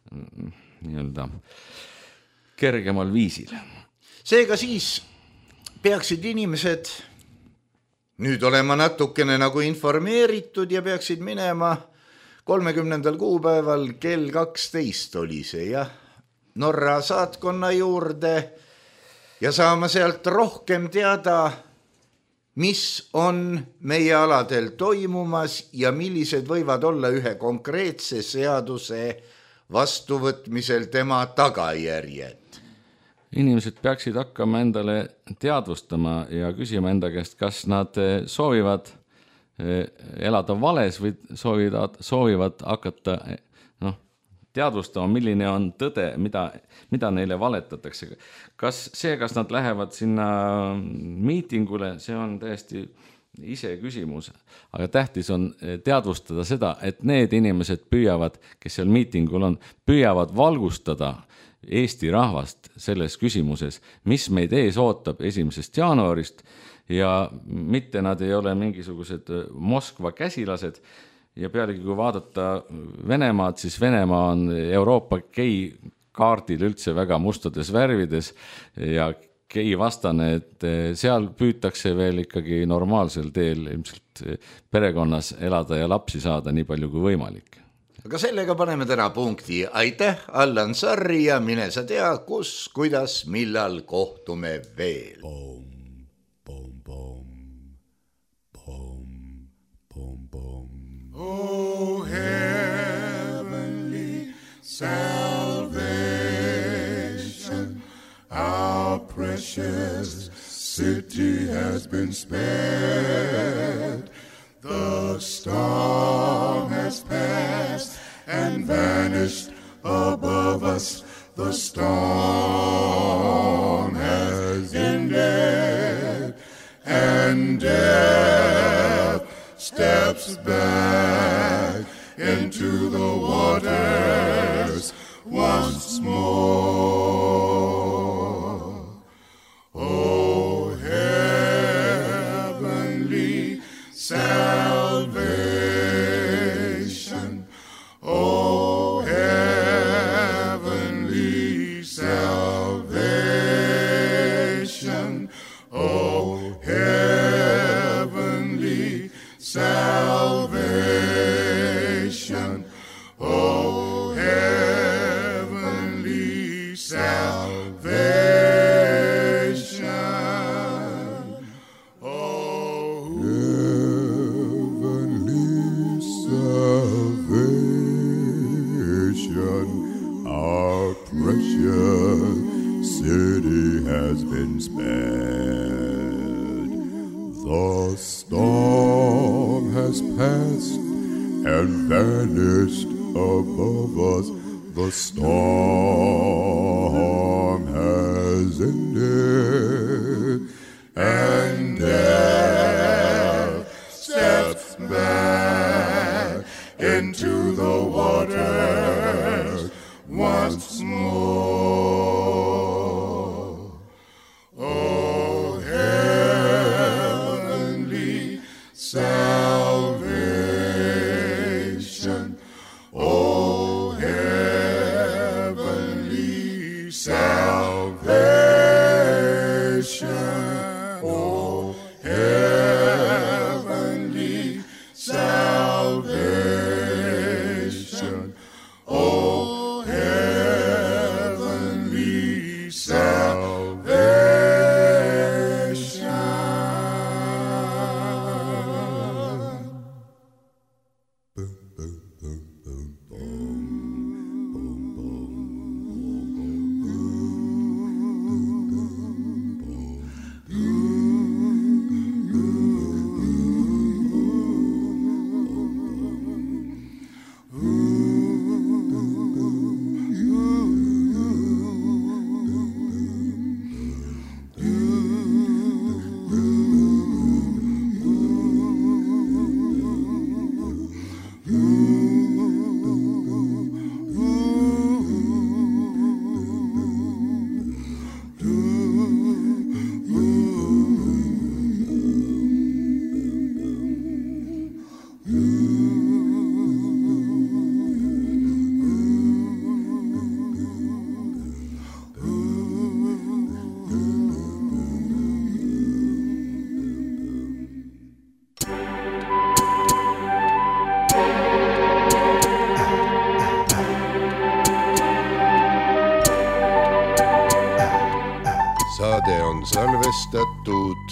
nii-öelda kergemal viisil. Seega siis peaksid inimesed nüüd olema natukene nagu informeeritud ja peaksid minema kolmekümnendal kuupäeval kell kaksteist oli see, jah, Norra saatkonna juurde ja saama sealt rohkem teada, mis on meie aladel toimumas ja millised võivad olla ühe konkreetse seaduse vastuvõtmisel tema tagajärjed. Inimesed peaksid hakkama endale teadvustama ja küsima enda käest, kas nad soovivad elada vales või soovivad, soovivad hakata noh, teadvustama, milline on tõde, mida, mida neile valetatakse. Kas see, kas nad lähevad sinna miitingule, see on täiesti ise küsimus. Aga tähtis on teadvustada seda, et need inimesed püüavad, kes seal miitingul on, püüavad valgustada Eesti rahvast selles küsimuses, mis meid ees ootab esimesest jaanuarist ja mitte nad ei ole mingisugused Moskva käsilased. Ja pealegi, kui vaadata Venemaad, siis Venemaa on Euroopa gei kaardil üldse väga mustades värvides ja gei vastane, et seal püütakse veel ikkagi normaalsel teel ilmselt perekonnas elada ja lapsi saada nii palju kui võimalik. Aga sellega paneme täna punkti. Aitäh, Allan Sarri ja mine sa tea, kus, kuidas, millal kohtume veel. Boom, boom, boom, boom, boom, boom. Oh, heavenly salvation, our precious city has been spared. The storm has passed and vanished above us. The storm has ended and death steps back into the waters once more. Oh, heavenly salvation, oh, heavenly salvation, oh, heavenly salvation, oh, heavenly salvation, oh, heavenly salvation, our precious city has been spared. The storm has passed and vanished above us. The storm has ended and death steps back into the waters once more. Oh, heavenly salvation, oh, heavenly salvation, oh, heavenly salvation, oh, heavenly salvation. Saade on salvestatud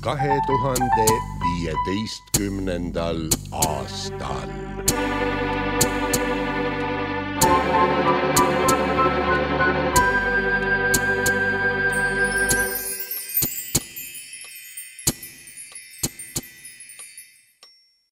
kahe tuhande viieteistkümnendal aastal.